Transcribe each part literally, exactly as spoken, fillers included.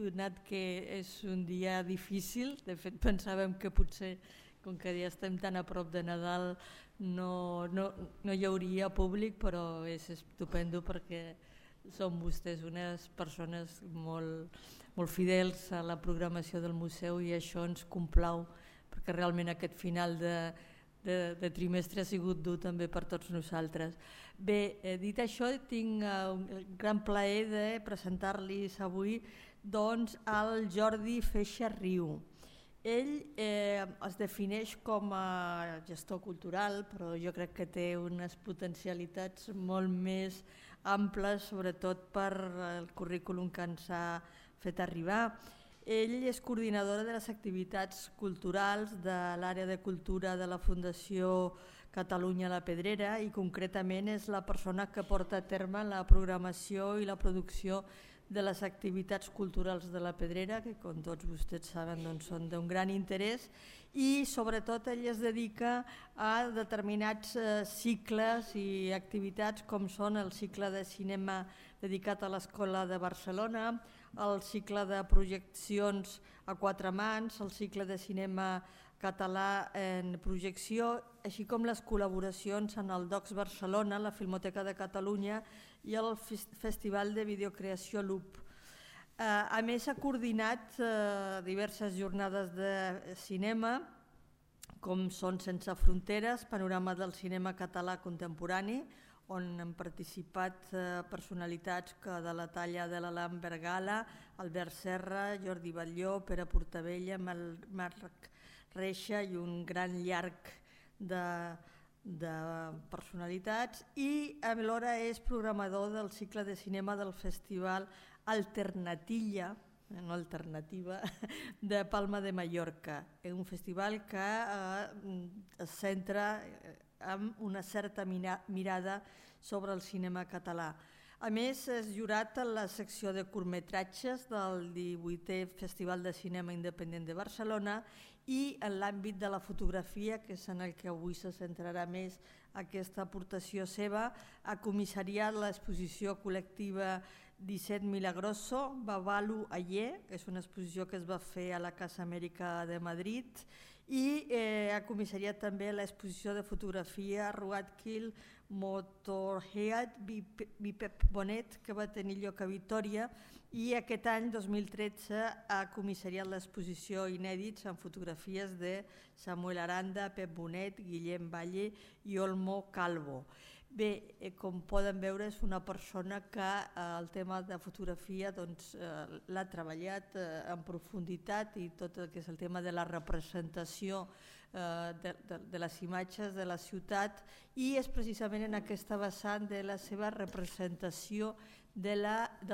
donat que és un dia difícil. De fet, pensàvem que potser, com que ja estem tan a prop de Nadal, no, no, no hi hauria públic, però és estupendo perquè són vostès unes persones molt, molt fidels a la programació del museu i això ens complau, perquè realment aquest final de, de, de trimestre ha sigut dur també per tots nosaltres. Bé, eh, dit això, tinc eh, un gran plaer de presentar-los avui doncs, al Jordi Feixa Riu. Ell eh, es defineix com a gestor cultural, però jo crec que té unes potencialitats molt més amples, sobretot per el currículum que ens ha fet arribar. Ell és coordinadora de les activitats culturals de l'àrea de cultura de la Fundació Catalunya La Pedrera i concretament és la persona que porta a terme la programació i la producció de les activitats culturals de la Pedrera, que com tots vostès saben doncs, són d'un gran interès, i sobretot ell es dedica a determinats eh, cicles i activitats com són el cicle de cinema dedicat a l'Escola de Barcelona, el cicle de projeccions a quatre mans, el cicle de cinema català en projecció, així com les col·laboracions en el Docs Barcelona, la Filmoteca de Catalunya i el Festival de Videocreació Loop. Eh, a més, ha coordinat eh, diverses jornades de cinema, com són Sense Fronteres, panorama del cinema català contemporani, on han participat eh, personalitats que de la talla de l'Alan Bergala, Albert Serra, Jordi Batlló, Pere Portabella, Marc Reixa i un gran llarg de, de personalitats, i alhora és programador del cicle de cinema del Festival Alternatilla, no alternativa, de Palma de Mallorca, un festival que eh, es centra amb una certa mirada sobre el cinema català. A més, és jurat a la secció de curtmetratges del divuitè Festival de Cinema Independent de Barcelona i en l'àmbit de la fotografia, que és en el que avui se centrarà més aquesta aportació seva, ha comissariat l'exposició col·lectiva disset Milagroso, Babalu Ayer, que és una exposició que es va fer a la Casa Amèrica de Madrid, i eh, ha comissariat també l'exposició de fotografia Roadkill Motorhead Bipep Bonet, que va tenir lloc a Vitòria, i aquest any, dos mil tretze, ha comissariat l'exposició Inèdits en fotografies de Samuel Aranda, Pep Bonet, Guillem Valle i Olmo Calvo. Bé, eh, com poden veure, és una persona que eh, el tema de fotografia doncs, eh, l'ha treballat eh, en profunditat, i tot el que és el tema de la representació eh, de, de, de les imatges de la ciutat, i és precisament en aquesta vessant de la seva representació de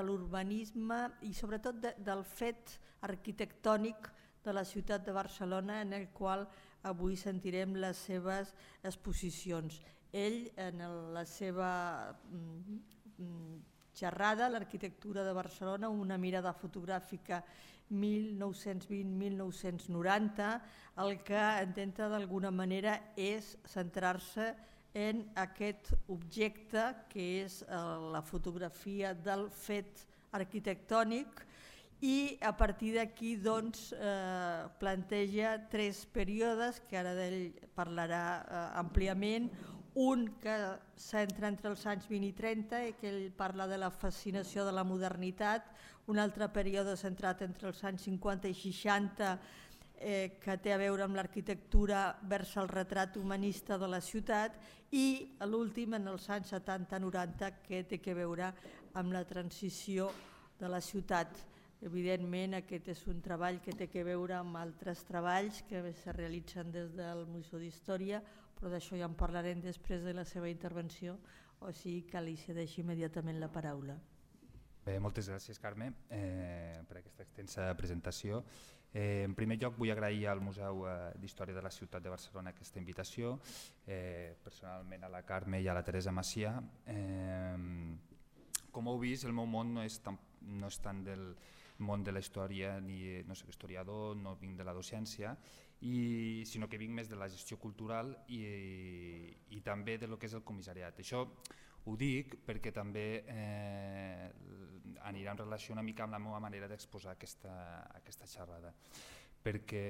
l'urbanisme i sobretot de, del fet arquitectònic de la ciutat de Barcelona, en el qual avui sentirem les seves exposicions. Ell, en la seva xerrada, l'arquitectura de Barcelona, una mirada fotogràfica mil nou-cents vint a mil nou-cents noranta, el que intenta d'alguna manera és centrar-se en aquest objecte que és la fotografia del fet arquitectònic, i a partir d'aquí doncs, eh, planteja tres períodes que ara d'ell parlarà eh, àmpliament. Un que s'entra entre els anys vint i trenta i que ell parla de la fascinació de la modernitat, un altre període centrat entre els anys cinquanta i seixanta eh, que té a veure amb l'arquitectura vers el retrat humanista de la ciutat, i l'últim en els anys setanta noranta que té a veure amb la transició de la ciutat. Evidentment, aquest és un treball que té a veure amb altres treballs que es realitzen des del Museu d'Història, però d'això ja en parlarem després de la seva intervenció, o sigui que li cedeixo immediatament la paraula. Bé, moltes gràcies, Carme, eh, per aquesta extensa presentació. Eh, en primer lloc vull agrair al Museu d'Història de la Ciutat de Barcelona aquesta invitació, eh, personalment a la Carme i a la Teresa Macià. Eh, com heu vist, el meu món no és tan, no és tant del món de la història, ni no soc historiador, no vinc de la docència, i, sinó que vinc més de la gestió cultural i, i també de lo que és el comissariat. Això ho dic perquè també eh, anirà en relació una mica amb la meva manera d'exposar aquesta, aquesta xerrada. Perquè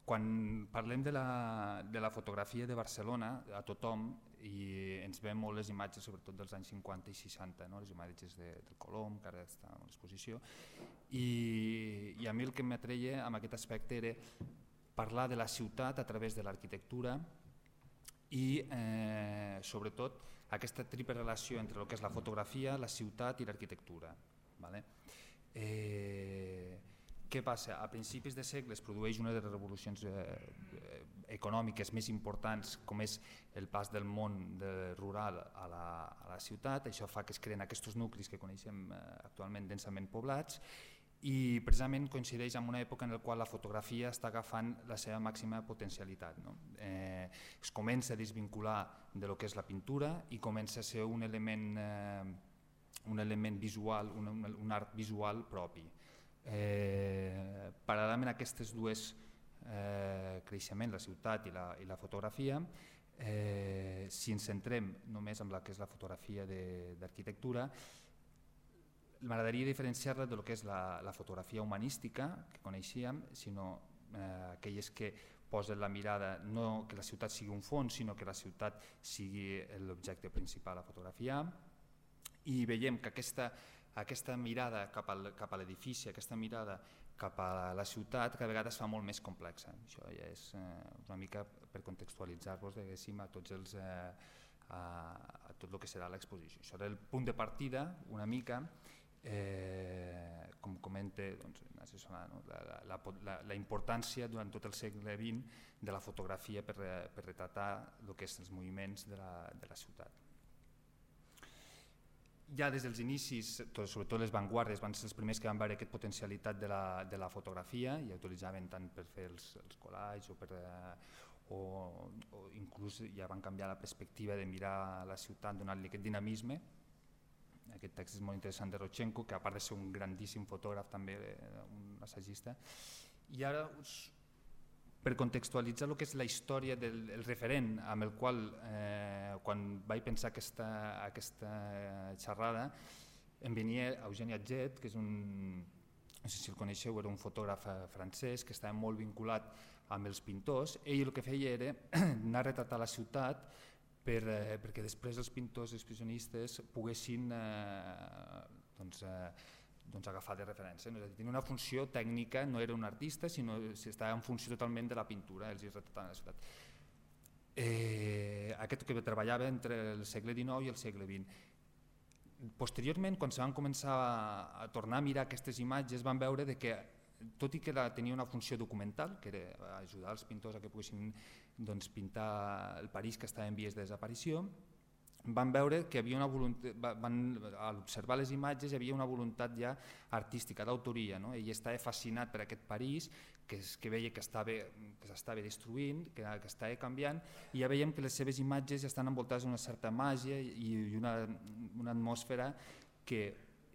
quan parlem de la, de la fotografia de Barcelona, a tothom, i ens veiem molt les imatges, sobretot dels anys cinquanta i seixanta, no? Les imatges de, del Colom, que ara està a l'exposició, i, i a mi el que m'atreia amb aquest aspecte era parlar de la ciutat a través de l'arquitectura i eh, sobretot aquesta triple relació entre el que és la fotografia, la ciutat i l'arquitectura. Vale? Eh, què passa? A principis de segle es produeix una de les revolucions eh, econòmiques més importants, com és el pas del món de rural a la, a la ciutat. Això fa que es creen aquests nuclis que coneixem eh, actualment densament poblats, i precisament coincideix amb una època en la qual la fotografia està agafant la seva màxima potencialitat. No? Eh, es comença a desvincular de lo que és la pintura i comença a ser un element, eh, un element visual, un, un art visual propi. Eh, paral·lelament a aquestes dues eh, creixements, la ciutat i la, i la fotografia, eh, si ens centrem només en la que és la fotografia d'arquitectura, m'agradaria diferenciar-la del que és la, la fotografia humanística que coneixíem, sinó eh, aquelles que posen la mirada, no que la ciutat sigui un fons, sinó que la ciutat sigui l'objecte principal a fotografiar, i veiem que aquesta, aquesta mirada cap, al, cap a l'edifici, aquesta mirada cap a la ciutat, cada vegada es fa molt més complexa. Això ja és eh, una mica per contextualitzar-vos a tots els, eh, a, a tot el que serà l'exposició. Això era el punt de partida, una mica, Eh, com comenta doncs, no? la, la, la, la importància durant tot el segle vint de la fotografia per, per retratar el que és els moviments de la, de la ciutat. Ja des dels inicis, tot, sobretot les vanguardes, van ser els primers que van veure aquesta potencialitat de la, de la fotografia i utilitzaven tant per fer els, els collages o, per, eh, o, o inclús ja van canviar la perspectiva de mirar la ciutat, donar-li aquest dinamisme. Aquest text és molt interessant de Rodchenko, que a part de ser un grandíssim fotògraf també, un assagista. I ara, per contextualitzar el que és la història del el referent amb el qual, eh, quan vaig pensar aquesta, aquesta xerrada, em venia Eugeni Atget, que és un, no sé si el coneixeu, era un fotògraf francès que estava molt vinculat amb els pintors. Ell el que feia era anar a retratar la ciutat Per, eh, perquè després els pintors expressionistes poguessin eh, doncs, eh, doncs agafar de referència. No? Tenia una funció tècnica, no era un artista, sinó que estava en funció totalment de la pintura, els hi retrataven la ciutat. Eh, aquest que treballava entre el segle dinou i el segle vint. Posteriorment, quan se van començar a, a tornar a mirar aquestes imatges, van veure de que, tot i que la, tenia una funció documental, que era ajudar els pintors a que poguessin doncs, pintar el París que estava en vies de desaparició, van veure que havia una voluntat, van, al observar les imatges hi havia una voluntat ja artística, d'autoria, no? Ell estava fascinat per aquest París que, es, que veia que s'estava destruint, que, que estava canviant, i ja veiem que les seves imatges ja estan envoltades d'una certa màgia i, i una, una atmosfera que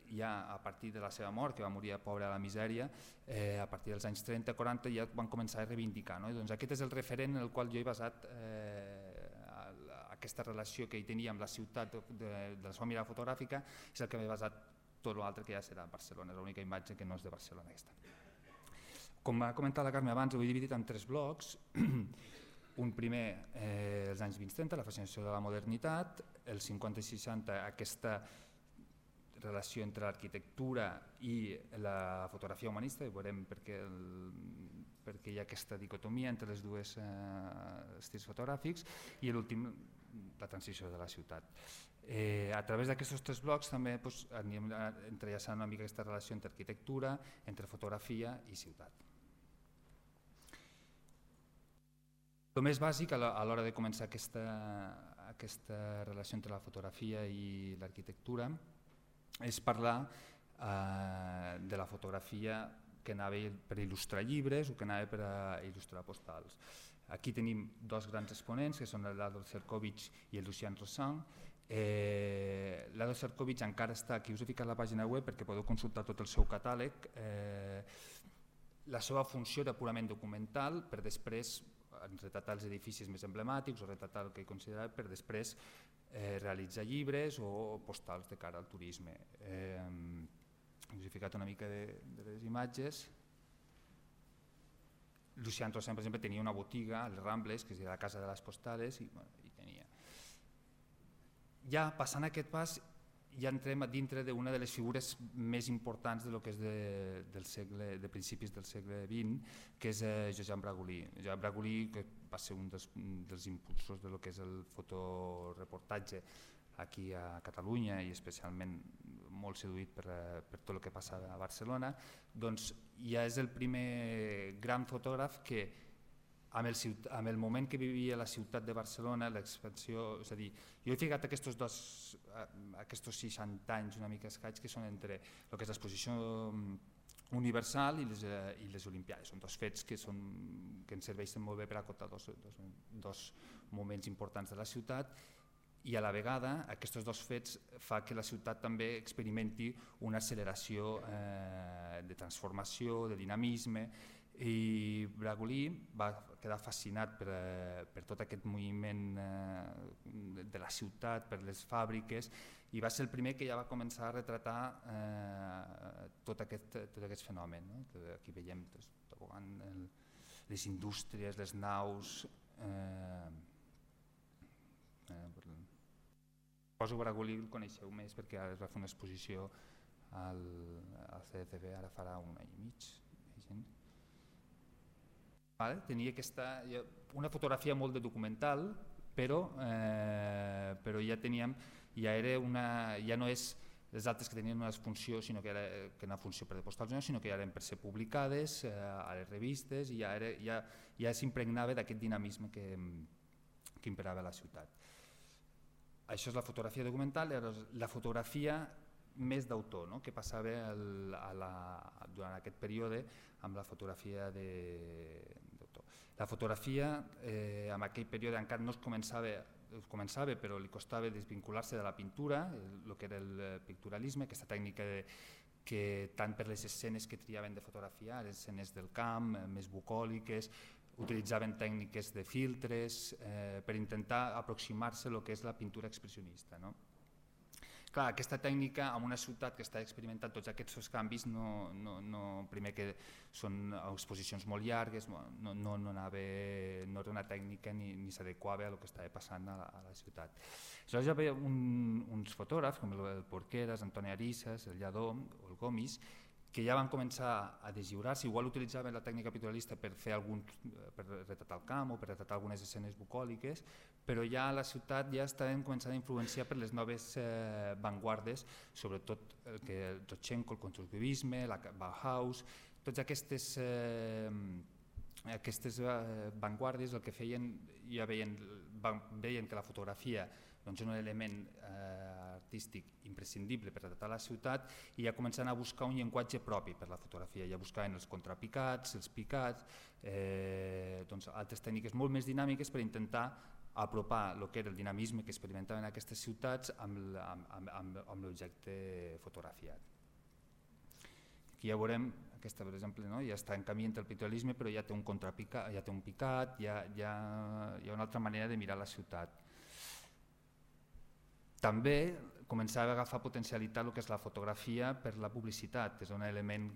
ja a partir de la seva mort, que va morir pobre a la misèria, eh, a partir dels anys trenta quaranta ja van començar a reivindicar. No? I doncs aquest és el referent en el qual jo he basat eh, aquesta relació que hi tenia amb la ciutat de, de, de la seva mirada fotogràfica, és el que m'he basat tot l'altre que ja serà a Barcelona, és l'única imatge que no és de Barcelona. Aquesta. Com ha comentat la Carme abans, ho he dividit en tres blocs. Un primer, eh, els anys vint trenta, la fascinació de la modernitat, el cinquanta i seixanta, aquesta relació entre l'arquitectura i la fotografia humanista, i veurem perquè, el, perquè hi ha aquesta dicotomia entre els dos eh, estils fotogràfics, i l'últim, la transició de la ciutat. Eh, a través d'aquests tres blocs també doncs, anem entrellaçant una mica aquesta relació entre arquitectura, entre fotografia i ciutat. El més bàsic a l'hora de començar aquesta, aquesta relació entre la fotografia i l'arquitectura és parlar eh, de la fotografia que anava per il·lustrar llibres o que anava per il·lustrar postals. Aquí tenim dos grans exponents, que són l'Ado Cercovich i el Lucien Rossan. Eh, L'Ado Cercovich encara està aquí, us he ficat la pàgina web perquè podeu consultar tot el seu catàleg. Eh, la seva funció era purament documental, per després retratar els edificis més emblemàtics o retratar el que considerava, per després eh, realitzar llibres o postals de cara al turisme. Eh, us he ficat una mica de, de les imatges. Lucian Tossem, per exemple, tenia una botiga a les Rambles, que és la Casa de les Postales, i, bueno, i tenia. Ja passant aquest pas, ja entrem dintre d'una de les figures més importants de lo que és de, del segle, de principis del segle vint, que és eh, Josep Bragolí. Josep Bragolí, que va ser un dels, dels impulsors de lo que és el fotoreportatge aquí a Catalunya i especialment molt seduït per, per tot el que passava a Barcelona, doncs ja és el primer gran fotògraf que amb el, amb el moment que vivia la ciutat de Barcelona, l'expansió, és a dir, jo he ficat aquests dos, aquests seixanta anys una mica escaig que són entre el que és l'exposició universal i les, i les Olimpiades. Són dos fets que, són, que ens serveixen molt bé per acotar dos, dos, dos moments importants de la ciutat, i a la vegada aquests dos fets fa que la ciutat també experimenti una acceleració eh, de transformació, de dinamisme, i Bragolí va quedar fascinat per, per tot aquest moviment eh, de la ciutat, per les fàbriques, i va ser el primer que ja va començar a retratar eh, tot, aquest, tot aquest fenomen. No? Aquí veiem doncs, el, les indústries, les naus... Eh, eh, Poso Bragolí, el coneixeu més perquè ara es va fer una exposició al, al C D C B, ara farà un any i mig. Vale, tenia aquesta, una fotografia molt de documental, però, eh, però ja teníem, ja, era una, ja no és les altres que tenien una funció, sinó que era que una funció per de postals, sinó que ja eren per ser publicades eh, a les revistes i ja, era, ja, ja s'impregnava d'aquest dinamisme que, que imperava a la ciutat. Això és la fotografia documental, la fotografia més d'autor, no? Que passava el, a la, durant aquest període amb la fotografia d'autor. La fotografia eh, en aquell període encara no es començava, començava però li costava desvincular-se de la pintura, el que era el picturalisme, aquesta tècnica de, que tant per les escenes que triaven de fotografiar, les escenes del camp, més bucòliques, utilitzaven tècniques de filtres eh, per intentar aproximar-se a lo que és la pintura expressionista. No? Clar, aquesta tècnica en una ciutat que està experimentant tots aquests canvis, no, no, no, primer que són exposicions molt llargues, no, no, no, anava, no era una tècnica ni, ni s'adequava a lo que estava passant a la, a la ciutat. Aleshores ja havia un, uns fotògrafs com el, el Porqueras, Antoni Arisas, el Lladó o el Gomis, que ja van començar a deslliurar-se, igual utilitzaven la tècnica pictorialista per fer algun, per retratar el camp o per retratar algunes escenes bucòliques, però ja a la ciutat ja estaven començant a influenciar per les noves eh, vanguardes, sobretot el que el Rodchenko, el constructivisme, la Bauhaus, tots aquestes, eh, aquestes eh, vanguardes el que feien, ja veien, van, veien que la fotografia doncs, és un element eh, artístic imprescindible per retratar la ciutat i ja començant a buscar un llenguatge propi per la fotografia, ja buscaven els contrapicats, els picats, eh, doncs, altres tècniques molt més dinàmiques per intentar apropar el que era el dinamisme que experimentaven aquestes ciutats amb, amb, amb, amb l'objecte fotografiat. Aquí ja veurem, aquesta per exemple, no? Ja està en camí entre el pictorialisme però ja té un contrapicat, ja té un picat, ja, ja, hi ha una altra manera de mirar la ciutat. També començava a agafar potencialitat el que és la fotografia per la publicitat, és un element,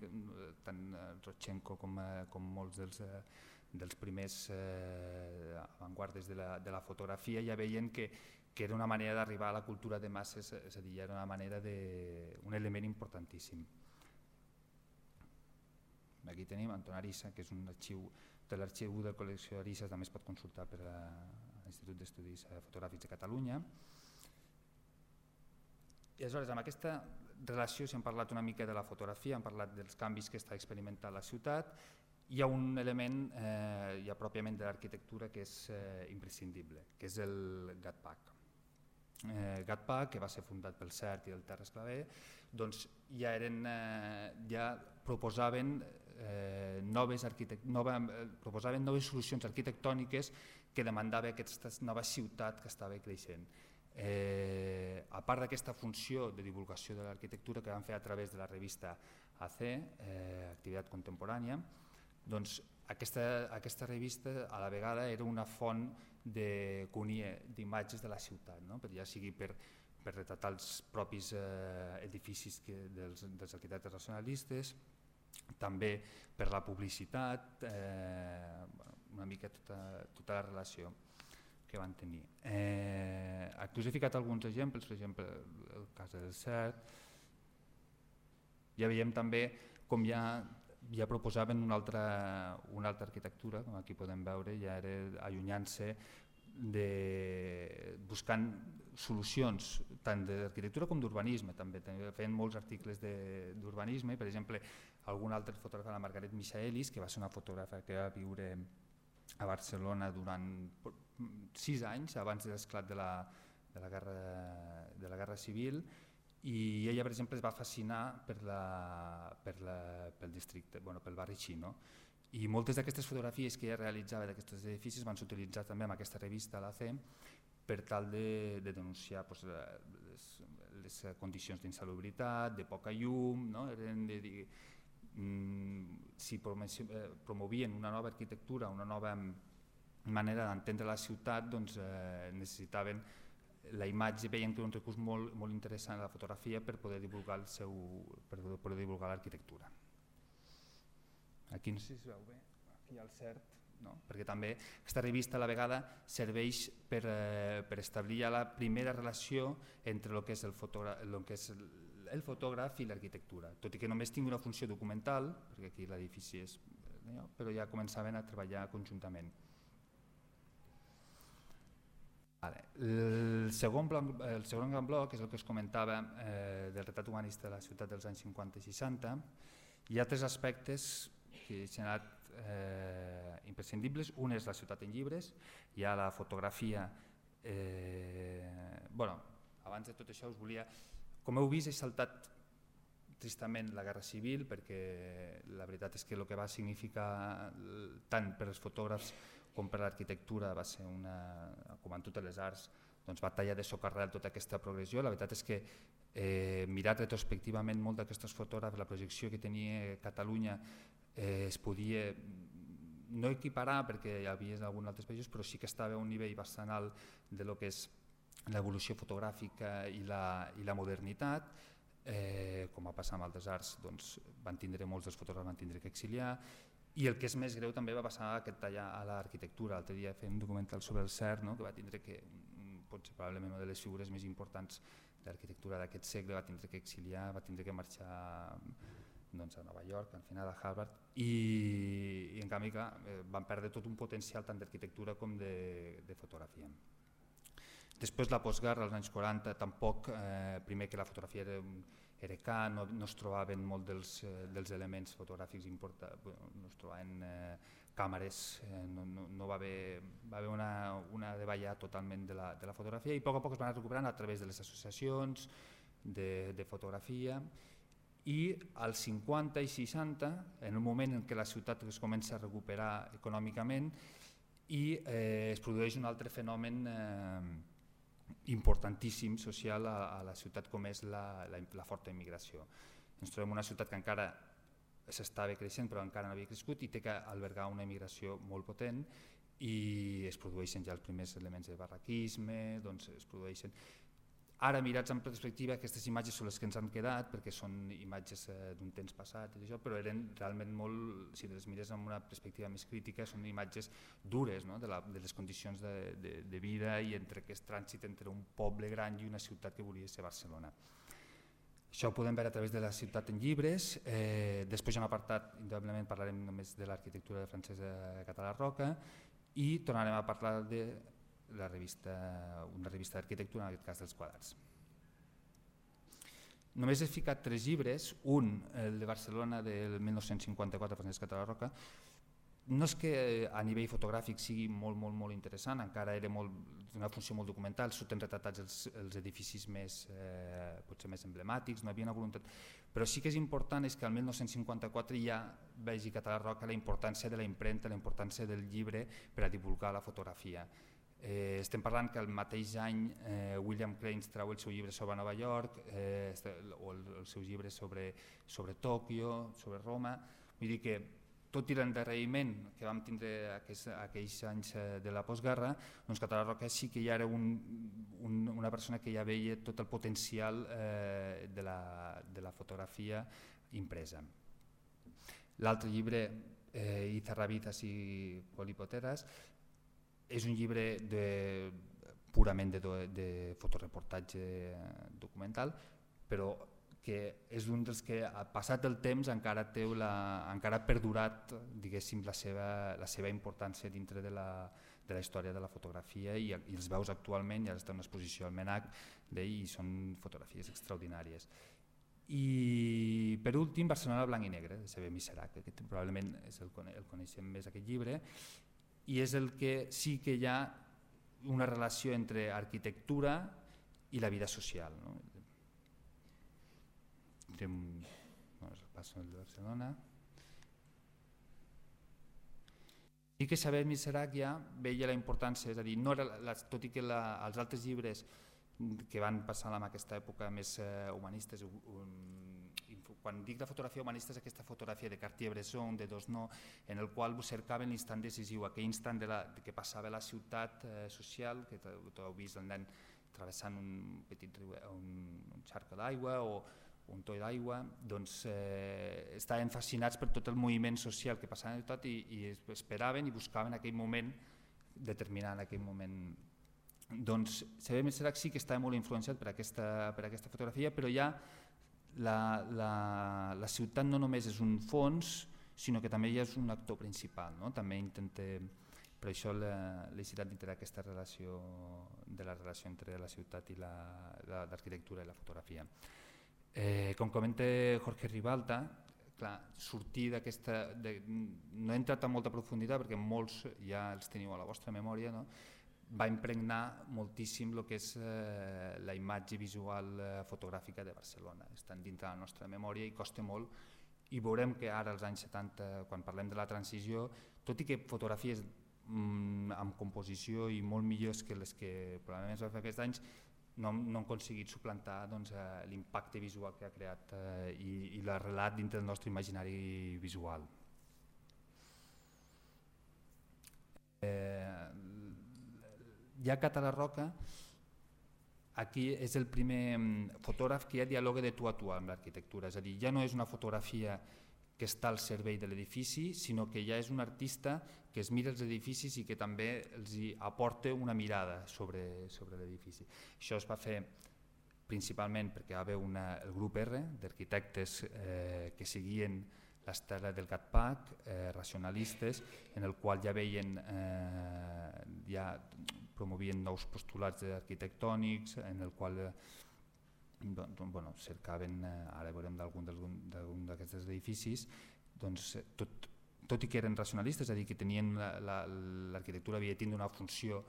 tant Rodchenko com, com molts dels, dels primers eh, avantguardes de la, de la fotografia ja veien que, que era una manera d'arribar a la cultura de masses, és a dir, era una manera de, un element importantíssim. Aquí tenim Anton Arisa, que és un arxiu de l'arxiu de col·lecció Arisa, també es pot consultar per a l'Institut d'Estudis Fotogràfics de Catalunya. I aleshores, amb aquesta relació, si hem parlat una mica de la fotografia, hem parlat dels canvis que està experimentant la ciutat, hi ha un element eh, ja pròpiament de l'arquitectura que és eh, imprescindible, que és el GATPAC. Eh, GATPAC, que va ser fundat pel CERT i el Terres Clavé, doncs ja, eren, eh, ja proposaven, eh, noves nova, eh, proposaven noves solucions arquitectòniques que demandava aquesta nova ciutat que estava creixent. Eh, a part d'aquesta funció de divulgació de l'arquitectura que van fer a través de la revista A C, eh, Activitat Contemporània, doncs aquesta, aquesta revista a la vegada era una font de, que unia d'imatges de la ciutat, no? Ja sigui per, per retratar els propis eh, edificis que, dels, dels arquitectes racionalistes, també per la publicitat, eh, una mica tota, tota la relació que van tenir. Eh, aquí us he ficat alguns exemples, per exemple el cas del CERT. Ja veiem també com ja, ja proposaven una altra, una altra arquitectura, com aquí podem veure, ja era allunyant-se, de, buscant solucions tant d'arquitectura com d'urbanisme. També feien molts articles d'urbanisme, per exemple, algun altre fotògraf, la Margaret Michaelis, que va ser una fotògrafa que va viure a Barcelona durant sis anys abans de l'esclat de, la, de, la guerra, de la guerra civil, i ella, per exemple, es va fascinar per la, per la, pel districte, bueno, pel barri xino, i moltes d'aquestes fotografies que ella realitzava d'aquests edificis van ser utilitzats també en aquesta revista, l'A C, per tal de, de denunciar pues, les, les condicions d'insalubritat, de poca llum, no? Eren de dir, mm, si promovien una nova arquitectura, una nova manera d'entendre la ciutat, doncs eh, necessitaven la imatge, veien que era un recurs molt, molt interessant a la fotografia per poder divulgar el seu, per poder divulgar l'arquitectura. Aquí no sé si es veu bé, aquí hi ha el CERT, no? Perquè també aquesta revista a la vegada serveix per, eh, per establir ja la primera relació entre el que és el, fotògraf, el, que és el, el fotògraf i l'arquitectura, tot i que només tingui una funció documental, perquè aquí l'edifici és, però ja començaven a treballar conjuntament. El segon, bloc, el segon gran bloc és el que us comentava eh, del retrat humanista de la ciutat dels anys cinquanta i seixanta. Hi ha tres aspectes que s'han anat eh, imprescindibles. Un és la ciutat en llibres, hi ha la fotografia. Eh, bueno, abans de tot això us volia... Com heu vist, he saltat tristament la Guerra Civil, perquè la veritat és que el que va significar tant per als fotògrafs com per l'arquitectura va ser una, com en totes les arts, doncs va tallar de socarrel tota aquesta progressió. La veritat és que eh, mirat retrospectivament molt d'aquestos fotògrafs, la projecció que tenia Catalunya eh, es podia no equiparar perquè hi havia en alguns altres països, però sí que estava a un nivell bastant alt de lo que és l'evolució fotogràfica i la, i la modernitat. Eh, com va passar amb altres arts, doncs, van tindre, molts dels fotògrafs van tindre que exiliar. I el que és més greu també va passar aquest tallar a l'arquitectura. L'altre dia fem un documental sobre el CERT, no? Que va tindre que, potser probablement una de les figures més importants de l'arquitectura d'aquest segle, va tindre que exiliar, va tindre que marxar doncs, a Nova York, al final a Harvard, i, i en canvi clar, van perdre tot un potencial tant d'arquitectura com de, de fotografia. Després la postguerra, als anys quaranta, tampoc, eh, primer que la fotografia era, era car, no, no es trobaven molt dels, eh, dels elements fotogràfics importants, no es trobaven eh, càmeres, eh, no, no, no va haver, va haver una, una davallada totalment de la, de la fotografia, i a poc a poc es van recuperant a través de les associacions de, de fotografia, i als cinquanta i seixanta, en un moment en què la ciutat es comença a recuperar econòmicament, i eh, es produeix un altre fenomen eh, importantíssim social a, a la ciutat, com és la, la, la forta immigració. Ens trobem una ciutat que encara s'estava creixent però encara no havia crescut i té que albergar una immigració molt potent, i es produeixen ja els primers elements de barraquisme, doncs es produeixen... Ara, mirats en perspectiva, aquestes imatges són les que ens han quedat, perquè són imatges eh, d'un temps passat, i això, però eren realment molt, si les mires amb una perspectiva més crítica, són imatges dures, no? de, la, de les condicions de, de, de vida i entre aquest trànsit entre un poble gran i una ciutat que volia ser Barcelona. Això ho podem veure a través de la ciutat en llibres. Eh, després hi ha un apartat, indubtablement parlarem només de l'arquitectura francesa Català Roca, i tornarem a parlar de la revista, una revista d'arquitectura, en aquest cas dels quadrats. Només he ficat tres llibres, un, el de Barcelona del mil nou-cents cinquanta-quatre, Francesc Català Roca. No és que a nivell fotogràfic sigui molt, molt, molt interessant, encara era molt, una funció molt documental, surten retratats els, els edificis més, eh, potser més emblemàtics, no hi havia una voluntat, però sí que és important és que al mil nou-cents cinquanta-quatre ja vegi Català Roca la importància de la impremta, la importància del llibre per a divulgar la fotografia. Eh, estem parlant que el mateix any eh, William Cranes trau el seu llibre sobre Nova York, eh, o el, el seu llibre sobre, sobre Tòquio, sobre Roma, vull dir que tot i l'endarreriment que vam tindre aquells, aquells anys de la postguerra, doncs Català Roca sí que ja era un, un, una persona que ja veia tot el potencial eh, de, la, de la fotografia impresa. L'altre llibre, eh, Izarrabitas i Polipoteras, és un llibre de, purament de, de fotoreportatge documental, però que és un dels que, passat el temps, encara, té la, encara ha perdurat, diguéssim, la seva, la seva importància dintre de la, de la història de la fotografia i, i els veus actualment, ja està en una exposició al MNAC i són fotografies extraordinàries. I per últim, Barcelona blanc i negre, de Xavier Miserac, que probablement és el, el coneixem més aquest llibre, i és el que sí que hi ha una relació entre arquitectura i la vida social, no? Bueno, passo el de Barcelona. I que Xavier Miserac ja veia la importància, és a dir, no era la, tot i que la, els altres llibres que van passar en aquesta època més eh, humanistes, um, quan dic la fotografia humanista és aquesta fotografia de Cartier-Bresson, de Dosno, en el qual cercaven l'instant decisiu, aquell instant de la, de que passava a la ciutat eh, social, que tot heu vist el nen travessant un petit riu, un, un xarca d'aigua o un toll d'aigua, doncs eh, estaven fascinats per tot el moviment social que passava en tot i, i esperaven i buscaven aquell moment determinant, aquell moment. Doncs Xavier Miserac sí que estava molt influenciat per aquesta, per aquesta fotografia, però ja la, la, la ciutat no només és un fons, sinó que també ja és un actor principal, no? També intenta, per això la necessitat d'integrar aquesta relació, de la relació entre la ciutat i l'arquitectura i la fotografia. Eh, com comenta Jorge Ribalta, clar, sortir d'aquesta, no he entrat en molta profunditat perquè molts ja els teniu a la vostra memòria, no? Va impregnar moltíssim el que és eh, la imatge visual eh, fotogràfica de Barcelona, estan dintre la nostra memòria i costa molt, i veurem que ara als anys setanta, quan parlem de la transició, tot i que fotografies mm, amb composició i molt millors que les que probablement es va fer aquests anys, no, no han aconseguit suplantar doncs, eh, l'impacte visual que ha creat eh, i, i el relat dintre del nostre imaginari visual. Eh, ja Català Roca, aquí és el primer fotògraf que ja dialoga de tu a tu amb l'arquitectura, és a dir, ja no és una fotografia que està al servei de l'edifici, sinó que ja és un artista que es mira els edificis i que també els hi aporta una mirada sobre, sobre l'edifici. Això es va fer principalment perquè hi va haver una, el grup R d'arquitectes eh, que seguien l'estela del GATPAC, eh, racionalistes, en el qual ja veien, eh, ja promovien nous postulats arquitectònics, en el qual eh, doncs, bueno, cercaven, ara veurem d'algun d'aquests edificis, doncs, tot, tot i que eren racionalistes, és a dir, que tenien l'arquitectura havia de tindre una funció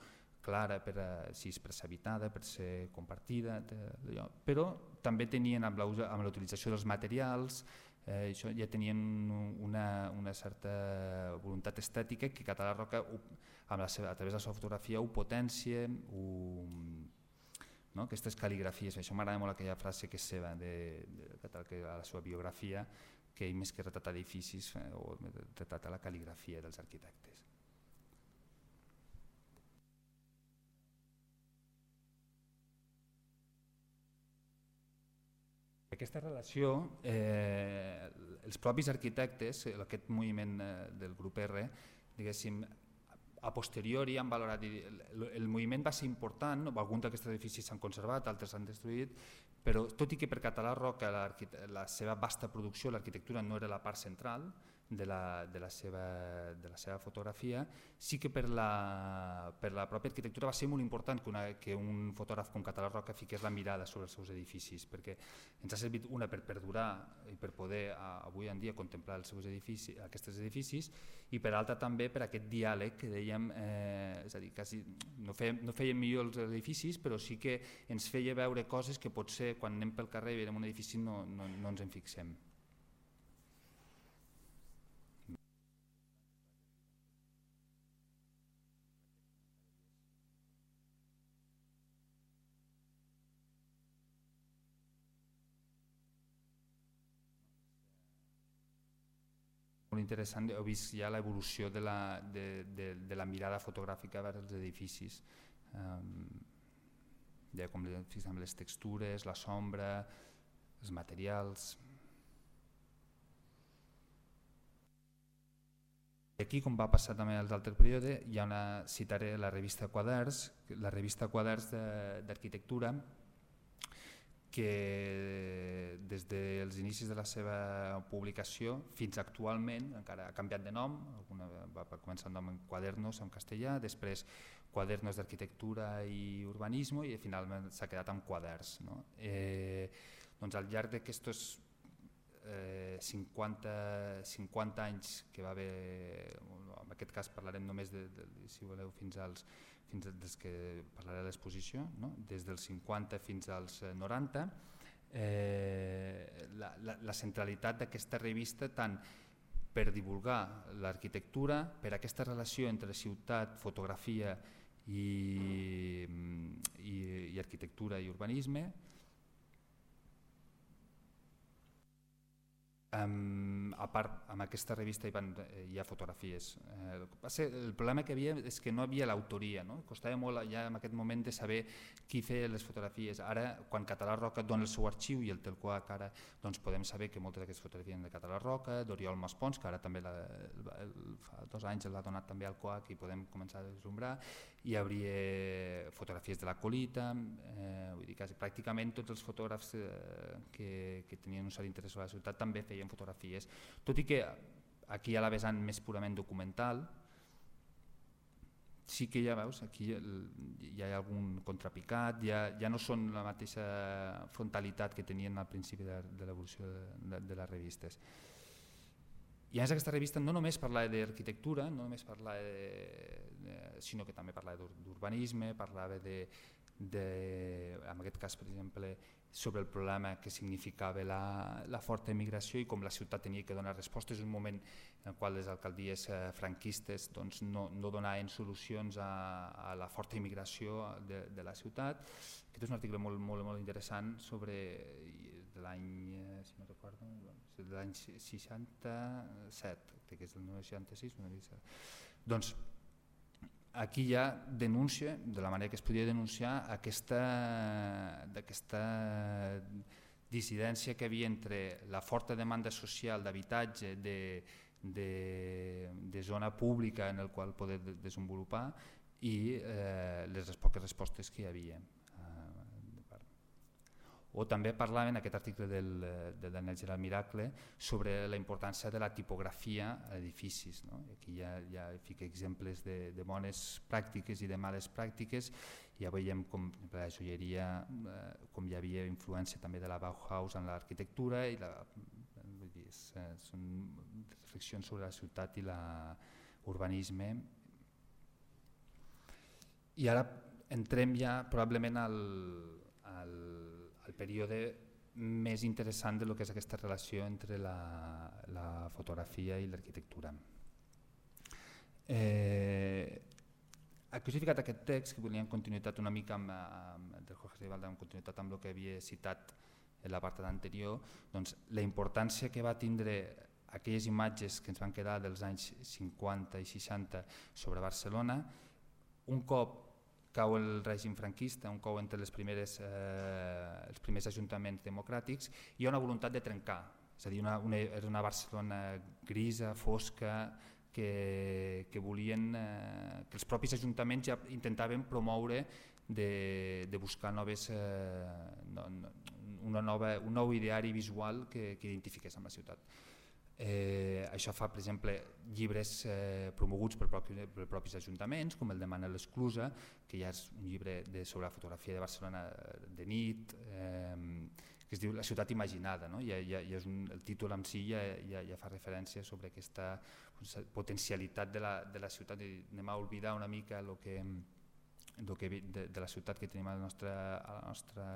clara per, si és per ser habitada, per ser compartida, però també tenien amb la utilització dels materials, eh, això ja tenien una, una certa voluntat estètica que Català Roca amb la seva, a través de la seva fotografia ho potencia, ho no? Aquestes cal·ligrafies, això m'agrada molt aquella frase que és seva de, de, de, a la seva biografia, que ell més que retratar edificis eh, o retrata la cal·ligrafia dels arquitectes. Aquesta relació, eh, els propis arquitectes, aquest moviment eh, del grup R, diguéssim, a posteriori han valorat, el, el moviment va ser important, alguns d'aquests edificis s'han conservat, altres s'han destruït, però tot i que per Català Roca la, la seva vasta producció, l'arquitectura no era la part central de la, de la, seva, de la seva fotografia, sí que per la, per la pròpia arquitectura va ser molt important que, una, que un fotògraf com Català Roca fiqués la mirada sobre els seus edificis, perquè ens ha servit una per perdurar i per poder avui en dia contemplar els seus edificis, aquests edificis, i per altra també per aquest diàleg que dèiem, eh, és a dir, quasi, no, fèiem, no fèiem millor els edificis, però sí que ens feia veure coses que potser quan anem pel carrer i veiem un edifici no, no, no ens en fixem. Molt interessant, heu vist ja l'evolució de, la, de, de, de la mirada fotogràfica vers els edificis. Um, ja com fixem les textures, la sombra, els materials. Aquí, com va passar també als altres períodes, hi ha una, citaré la revista Quaderns, la revista Quaderns d'Arquitectura, que des dels inicis de la seva publicació fins actualment encara ha canviat de nom, alguna va començar el nom en Quadernos en castellà, després Quadernos d'Arquitectura i Urbanisme i finalment s'ha quedat amb Quaderns. No? Eh, doncs al llarg d'aquests eh, cinquanta, cinquanta anys que va haver, en aquest cas parlarem només de, de, si voleu fins als fins des que parlaré de l'exposició, no? Des dels cinquanta fins als noranta, eh, la, la, la centralitat d'aquesta revista tant per divulgar l'arquitectura, per aquesta relació entre ciutat, fotografia i, i, i arquitectura i urbanisme. Um, a part, amb aquesta revista hi, van, eh, hi ha fotografies. Eh, el, el problema que hi havia és que no havia l'autoria, no? Costava molt ja en aquest moment de saber qui feia les fotografies. Ara, quan Català Roca dona el seu arxiu i el té el Coac, ara doncs podem saber que moltes d'aquestes fotografies de Català Roca, d'Oriol Maspons, que ara també la, el, el, fa dos anys l'ha donat també al Coac i podem començar a deslumbrar. Hi hauria fotografies de la Colita, eh, vull dir, quasi, pràcticament tots els fotògrafs eh, que, que tenien un cert interès sobre la ciutat també feien fotografies, tot i que aquí hi ha la vessant més purament documental, sí que ja veus, aquí hi ha algun contrapicat, ja, ja no són la mateixa frontalitat que tenien al principi de, de l'evolució de, de, de les revistes. I a més aquesta revista no només parlava d'arquitectura, no només parlava de, de, sinó que també parlava d'urbanisme, parlava de, de, en aquest cas per exemple, sobre el problema que significava la, la forta emigració i com la ciutat tenia que donar respostes en un moment en el qual les alcaldies eh, franquistes doncs, no, no donaven solucions a, a la forta immigració de, de la ciutat. Aquest és un article molt, molt, molt interessant sobre de l'any, eh, si no recordo, de l'any seixanta-set, que és el seixanta-sis, doncs aquí ja denuncia, de la manera que es podia denunciar, aquesta, aquesta dissidència que hi havia entre la forta demanda social d'habitatge, de, de, de zona pública en el qual poder desenvolupar i eh, les poques respostes que hi havia. O també parlava en aquest article del, de Daniel Gerard Miracle sobre la importància de la tipografia a edificis. No? Aquí ja, ja fica exemples de, de bones pràctiques i de males pràctiques. Ja veiem com la joieria, eh, com hi havia influència també de la Bauhaus en l'arquitectura i la, vull dir, és, són reflexions sobre la ciutat i l'urbanisme. I ara entrem ja probablement al, al el període més interessant de lo que és aquesta relació entre la, la fotografia i l'arquitectura. Eh, aquí us he ficat aquest text que volia en continuïtat una mica amb, amb, del Jorge Ribalda, en continuïtat amb el que havia citat en la part anterior, doncs la importància que va tindre aquelles imatges que ens van quedar dels anys cinquanta i seixanta sobre Barcelona, un cop cau el règim franquista, un cop entre les primeres, eh, els primers ajuntaments democràtics, hi ha una voluntat de trencar, és a dir, una, una, era una Barcelona grisa, fosca, que, que volien, eh, que els propis ajuntaments ja intentaven promoure de, de buscar noves, eh, no, una nova, un nou ideari visual que, que identifiqués amb la ciutat. Eh, això fa, per exemple, llibres eh, promoguts per, propi, per propis ajuntaments, com el de Manel Esclusa, que ja és un llibre de, sobre la fotografia de Barcelona de nit, eh, que es diu La ciutat imaginada, no? Ja, ja, ja és un, el títol en si ja, ja, ja fa referència sobre aquesta potencialitat de la, de la ciutat, i anem a oblidar una mica lo que, lo que de, de la ciutat que tenim a la nostra, a la nostra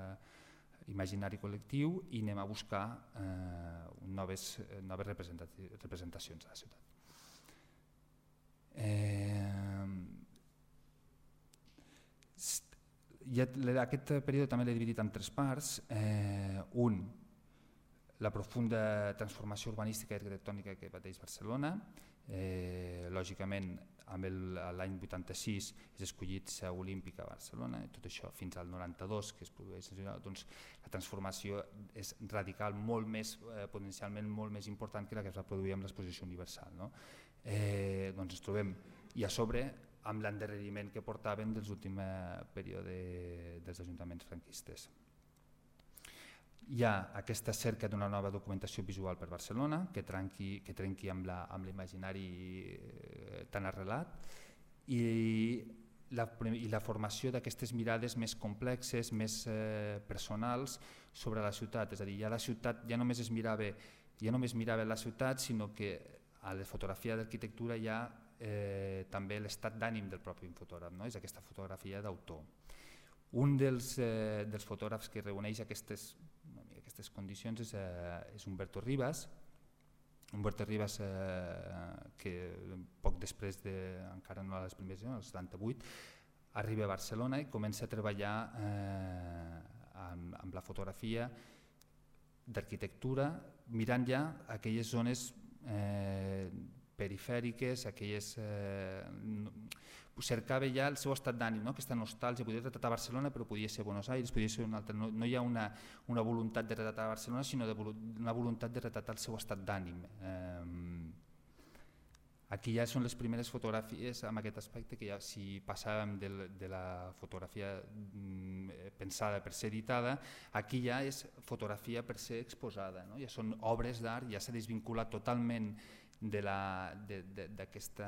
imaginari col·lectiu i anem a buscar eh, noves, noves representacions a la ciutat. Eh, ja, aquest període també l'he dividit en tres parts. Eh, un, la profunda transformació urbanística i arquitectònica que pateix Barcelona. Eh, lògicament, amb l'any vuitanta-sis és escollit seu olímpica a Barcelona, i tot això fins al noranta-dos, que es produeix, doncs, la transformació és radical, molt més, eh, potencialment molt més important que la que es va produir amb l'exposició universal. No? Eh, doncs ens trobem, i a sobre, amb l'endarreriment que portaven dels últims períodes dels ajuntaments franquistes. Hi ha aquesta cerca d'una nova documentació visual per Barcelona que trenqui, que trenqui amb l'imaginari eh, tan arrelat i la, i la formació d'aquestes mirades més complexes, més eh, personals sobre la ciutat. És a dir, ja la ciutat ja només es mirava, ja només mirava la ciutat, sinó que a la fotografia d'arquitectura hi ha eh, també l'estat d'ànim del propi fotògraf, no? És aquesta fotografia d'autor. Un dels, eh, dels fotògrafs que reuneix aquestes aquestes condicions és, eh, és Humberto Rivas. Humberto Rivas eh, que poc després de, encara no a les primeres, al setanta-vuit, arriba a Barcelona i comença a treballar eh, amb, amb la fotografia d'arquitectura, mirant ja aquelles zones eh, perifèriques, aquelles... Eh, cercava ja el seu estat d'ànim, no? Aquesta nostàlgia, podia retratar Barcelona però podia ser Buenos Aires, podia ser un altre, no, no hi ha una, una voluntat de retratar Barcelona sinó de, una voluntat de retratar el seu estat d'ànim. Eh, aquí ja són les primeres fotografies amb aquest aspecte que ja si passàvem de, de la fotografia mm, pensada per ser editada, aquí ja és fotografia per ser exposada, no? Ja són obres d'art, ja s'ha desvinculat totalment d'aquesta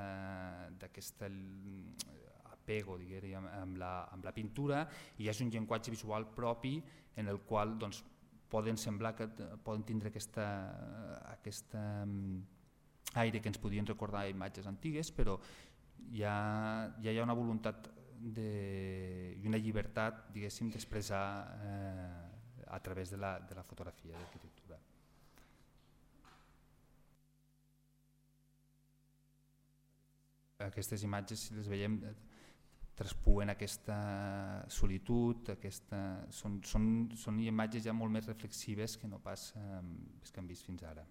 apego diguem, amb, la, amb la pintura, i és un llenguatge visual propi en el qual doncs, poden semblar que poden tindre aquesta, aquesta aire que ens podien recordar imatges antigues, però ja, ja hi ha una voluntat de, i una llibertat d'expressar eh, a través de la, de la fotografia d'arquitectura. Aquestes imatges, si les veiem, traspuen aquesta solitud, aquesta, són, són, són imatges ja molt més reflexives que no pas eh, les que hem vist fins ara.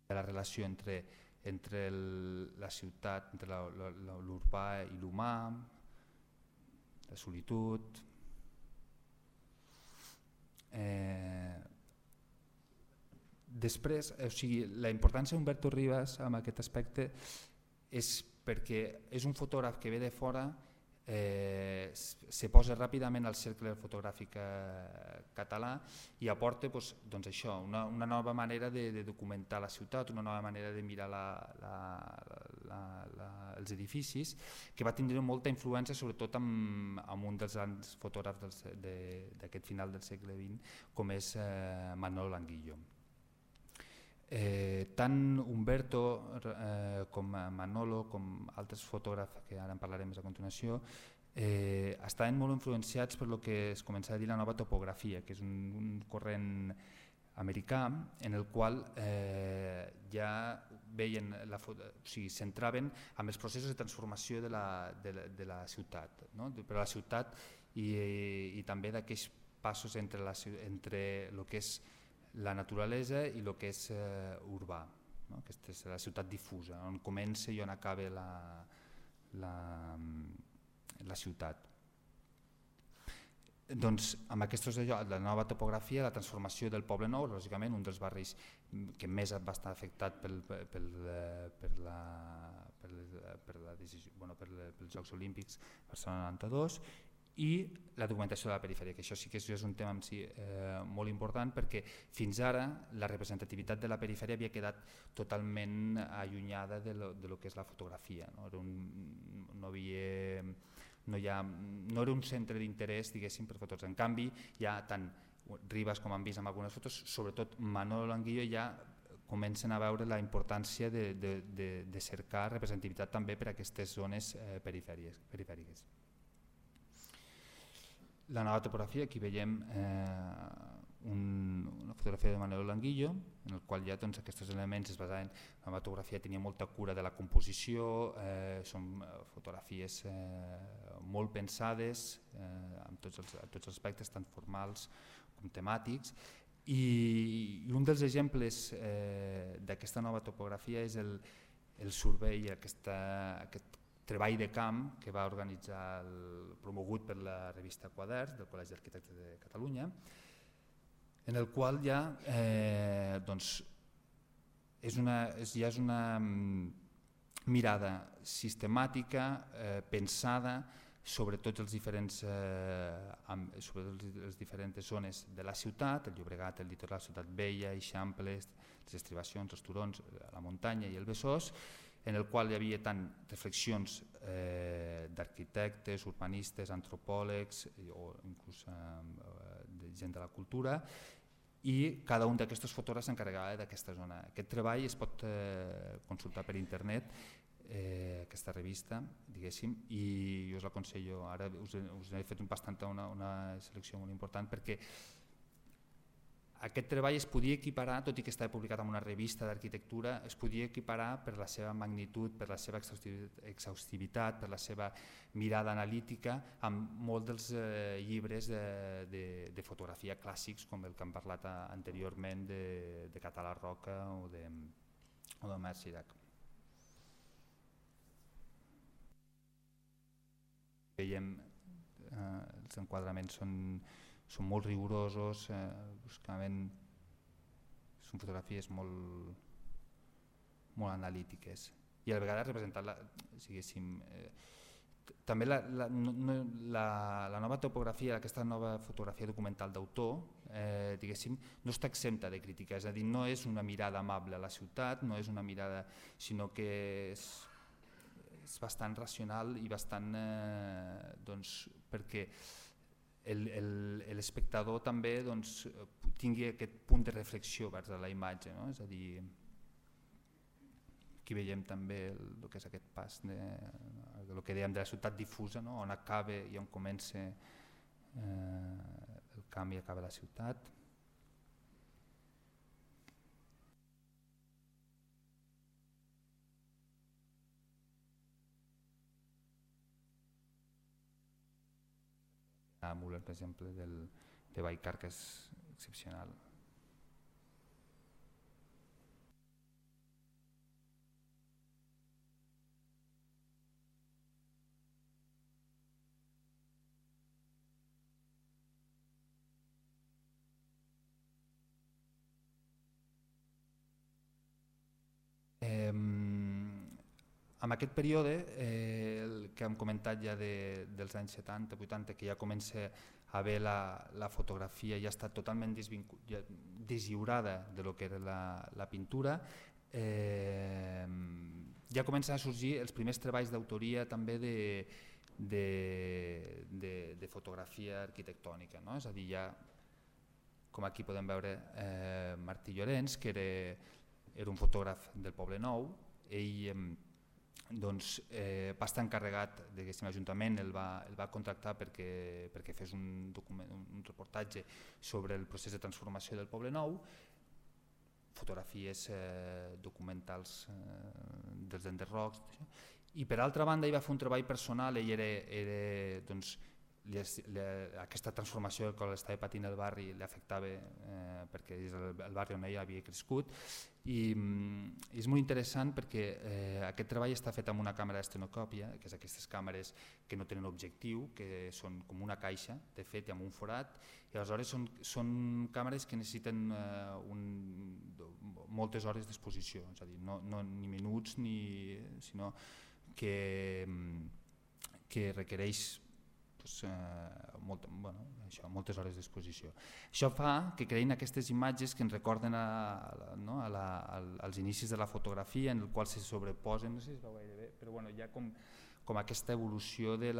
La relació entre, entre el, la ciutat, entre l'urbà i l'humà, la solitud... Eh, Després, o sigui, la importància d'Humberto Rivas en aquest aspecte és perquè és un fotògraf que ve de fora, eh, se posa ràpidament al cercle fotogràfic català i aporta doncs, doncs això, una, una nova manera de, de documentar la ciutat, una nova manera de mirar la, la, la, la, els edificis, que va tindre molta influència sobretot amb, amb un dels grans fotògrafs d'aquest final del segle vint com és eh, Manolo Languillo. Eh, tant Humberto eh, com Manolo com altres fotògrafs que ara en parlarem més a continuació eh, estaven molt influenciats per lo que es comença a dir la nova topografia, que és un, un corrent americà en el qual eh, ja veien la, o sigui, centraven amb els processos de transformació de la, de la, de la ciutat, no? de, per a la ciutat i, i també d'aquells passos entre, la, entre el que és la naturalesa i el que és eh, urbà, no? Aquesta és la ciutat difusa, on comença i on acaba la, la, la ciutat. Doncs amb aquests, la nova topografia, la transformació del Poble Nou, lògicament un dels barris que més va estar afectat pel, pel, per la, per per la decisió, bueno, per pels Jocs Olímpics Barcelona noranta-dos, i la documentació de la perifèria, que això sí que és un tema en si eh, molt important perquè fins ara la representativitat de la perifèria havia quedat totalment allunyada de lo, de lo que és la fotografia. No, era un, no, havia, no, hi ha, no era un centre d'interès diguéssim per fotos. En canvi, ja tant Rivas com han vist en algunes fotos, sobretot Manolo Languillo ja comencen a veure la importància de, de, de, de cercar representativitat també per a aquestes zones eh, perifèriques. La nova topografia, aquí veiem eh, un, una fotografia de Manolo Languillo, en el qual ja doncs, aquests elements es basaven, la nova topografia tenia molta cura de la composició, eh, són fotografies eh, molt pensades, eh, amb tots els, tots els aspectes, tant formals com temàtics, i un dels exemples eh, d'aquesta nova topografia és el, el survey, aquesta, aquest treball de camp que va organitzar el, promogut per la revista Quaderns del Col·legi d'Arquitectes de Catalunya, en el qual ja, eh, doncs, és una, és, ja és una mirada sistemàtica, eh, pensada sobre tots els diferents, eh, sobre les diferents zones de la ciutat, el Llobregat, el litoral, Ciutat Vella, Eixamples, les estribacions, els turons, la muntanya i el Besòs, en el qual hi havia tant reflexions eh, d'arquitectes, urbanistes, antropòlegs o inclús eh, de gent de la cultura, i cada un d'aquestos fotògrafs s'encarregava d'aquesta zona. Aquest treball es pot eh, consultar per internet, eh, aquesta revista, diguéssim, i us l'aconsello. Ara us, us he fet bastant una, una selecció molt important perquè aquest treball es podia equiparar, tot i que estava publicat en una revista d'arquitectura, es podia equiparar per la seva magnitud, per la seva exhaustivitat, per la seva mirada analítica, amb molts dels eh, llibres de, de, de fotografia clàssics, com el que hem parlat anteriorment de, de Català Roca o de, o de Marc Cirac. Veiem, eh, els enquadraments són són molt rigorosos, eh, buscaven, són fotografies molt, molt analítiques i a la vegada representar la, diguéssim, eh, també la, la, no, la, la nova topografia, aquesta nova fotografia documental d'autor, eh, diguéssim, no està exempta de crítica, és a dir, no és una mirada amable a la ciutat, no és una mirada, sinó que és, és bastant racional i bastant, eh, doncs, perquè l'espectador també doncs, tingui aquest punt de reflexió vers la imatge, no? És a dir, aquí veiem també el, el que és aquest pas de, el que dèiem de la ciutat difusa, no? On acaba i on comença eh, el camp i acaba la ciutat. A Müller, per exemple, del, de Baikar, que és excepcional. Eh, en aquest període, eh, el que hem comentat ja de, dels anys setanta vuitanta, que ja comença a haver la, la fotografia ja està totalment ja deslliurada de lo que era la, la pintura, eh, ja comencen a sorgir els primers treballs d'autoria també de, de, de, de fotografia arquitectònica, no? És a dir, ja, com aquí podem veure, eh, Martí Llorenç, que era, era un fotògraf del Poble Nou, ell eh, doncs, eh, va estar encarregat, l'Ajuntament el va, el va contractar perquè, perquè fes un, document, un reportatge sobre el procés de transformació del Poble Nou, fotografies eh, documentals eh, dels enderrocs, i per altra banda ell va fer un treball personal, ell era, era doncs, li, li, aquesta transformació que l'estava patint el barri li afectava eh, perquè és el, el barri on ell havia crescut, i mm, és molt interessant perquè eh, aquest treball està fet amb una càmera d'estenocòpia, que és aquestes càmeres que no tenen objectiu, que són com una caixa, de fet, i amb un forat, i aleshores són, són càmeres que necessiten eh, un, moltes hores d'exposició, és a dir, no, no ni minuts, ni, sinó que, que requereix pues, eh, molt, bueno, això, moltes hores d'exposició. Això fa que creïn aquestes imatges que ens recorden a, a, no, a la, a, als inicis de la fotografia, en el qual se sobreposen, no sé si es veu gaire bé, però bueno, hi ha com, com aquesta evolució de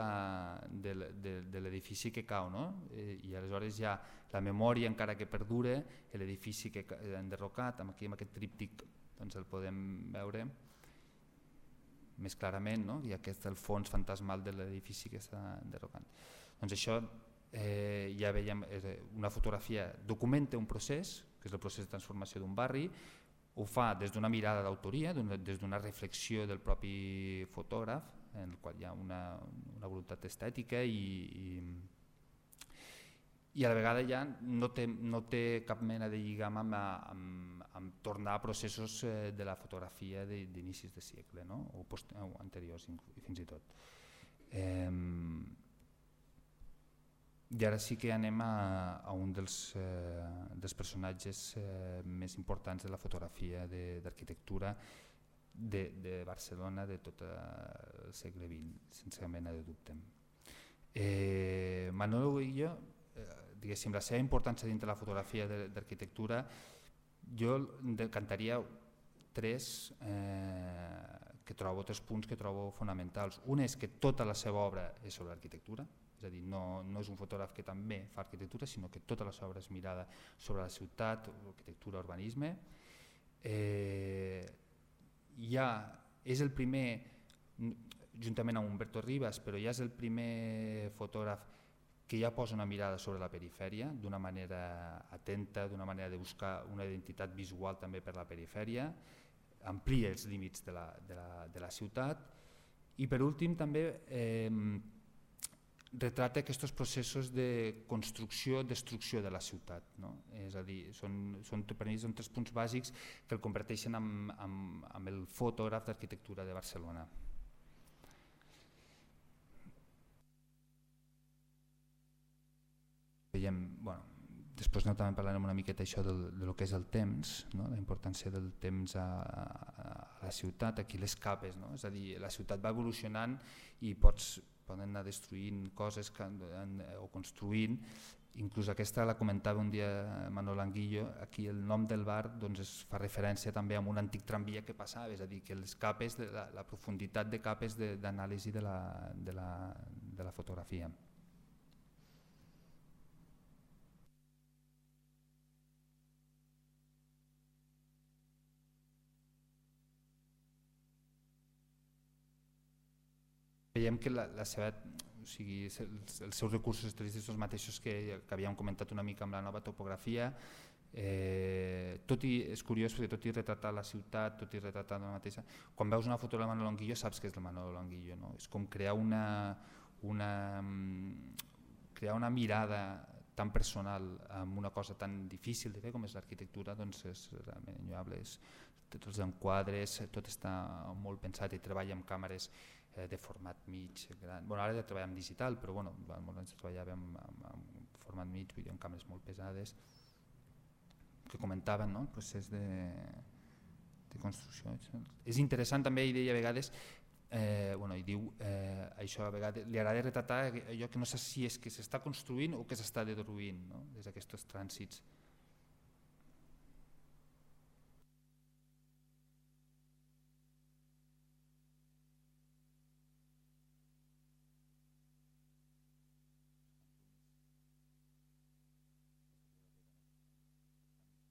l'edifici que cau, no? I, i aleshores hi ha la memòria encara que perdura, l'edifici que ha enderrocat, aquí amb aquest tríptic doncs el podem veure més clarament, no? I aquest el fons fantasmal de l'edifici que està enderrocant. Doncs això eh, ja veiem, una fotografia documenta un procés, que és el procés de transformació d'un barri, ho fa des d'una mirada d'autoria, des d'una reflexió del propi fotògraf, en el qual hi ha una, una voluntat estètica i, i, i a la vegada ja no té, no té cap mena de lligam amb, amb, amb tornar a processos eh, de la fotografia d'inicis de segle, no? o, post, o anteriors fins i tot. Eh, I ara sí que anem a, a un dels, eh, dels personatges eh, més importants de la fotografia d'arquitectura de, de Barcelona de tot el segle vint, sense cap mena de dubte. Eh, Manolo Longillo, eh, diguéssim, la seva importància dintre la fotografia d'arquitectura, jo decantaria tres, eh, que trobo, tres punts que trobo fonamentals. Un és que tota la seva obra és sobre l'arquitectura, és a dir, no, no és un fotògraf que també fa arquitectura, sinó que tota la seva obra és mirada sobre la ciutat, arquitectura, urbanisme. Eh, ja és el primer, juntament amb Humberto Rivas, però ja és el primer fotògraf que ja posa una mirada sobre la perifèria d'una manera atenta, d'una manera de buscar una identitat visual també per la perifèria, amplia els límits de la, de la, de la ciutat i per últim també eh, retrata aquests processos de construcció, destrucció de la ciutat, no? És a dir, són, són, per mi són tres punts bàsics que el converteixen en, en, en el fotògraf d'arquitectura de Barcelona. Veiem, bueno, després no, també parlarem una miqueta això del, de lo que és el temps, no? La importància del temps a, a, a la ciutat, aquí les capes, no? És a dir, la ciutat va evolucionant i pots poden anar destruint coses que, en, o construint, inclús aquesta la comentava un dia Manolo Longillo, aquí el nom del bar doncs, es fa referència també a un antic tramvia que passava, és a dir, que les capes, de la, la profunditat de capes d'anàlisi de, de, la, de, la, de la fotografia. Veiem que la, la seva, o sigui, els, els seus recursos estilístics són els mateixos que, que havíem comentat una mica amb la nova topografia. Eh, tot i, és curiós perquè tot i retratar la ciutat, tot i retratar la mateixa, quan veus una foto de Manolo Longillo saps que és el Manolo Longillo, no? És com crear una, una, crear una mirada tan personal amb una cosa tan difícil de fer com és l'arquitectura, doncs és realment enyoable. És, tots els enquadres, tot està molt pensat i treballa amb càmeres de format mig, gran. Bueno, ara ja treballem digital, però bueno, molts anys treballàvem amb, amb format mig, vull dir, amb càmeres molt pesades, que comentaven, no? El procés de, de construcció. És interessant també, i deia a vegades, eh, bueno, i diu eh, això a vegades, li agrada retratar allò que no sé si és que s'està construint o que s'està derruint, no? Des d'aquests trànsits.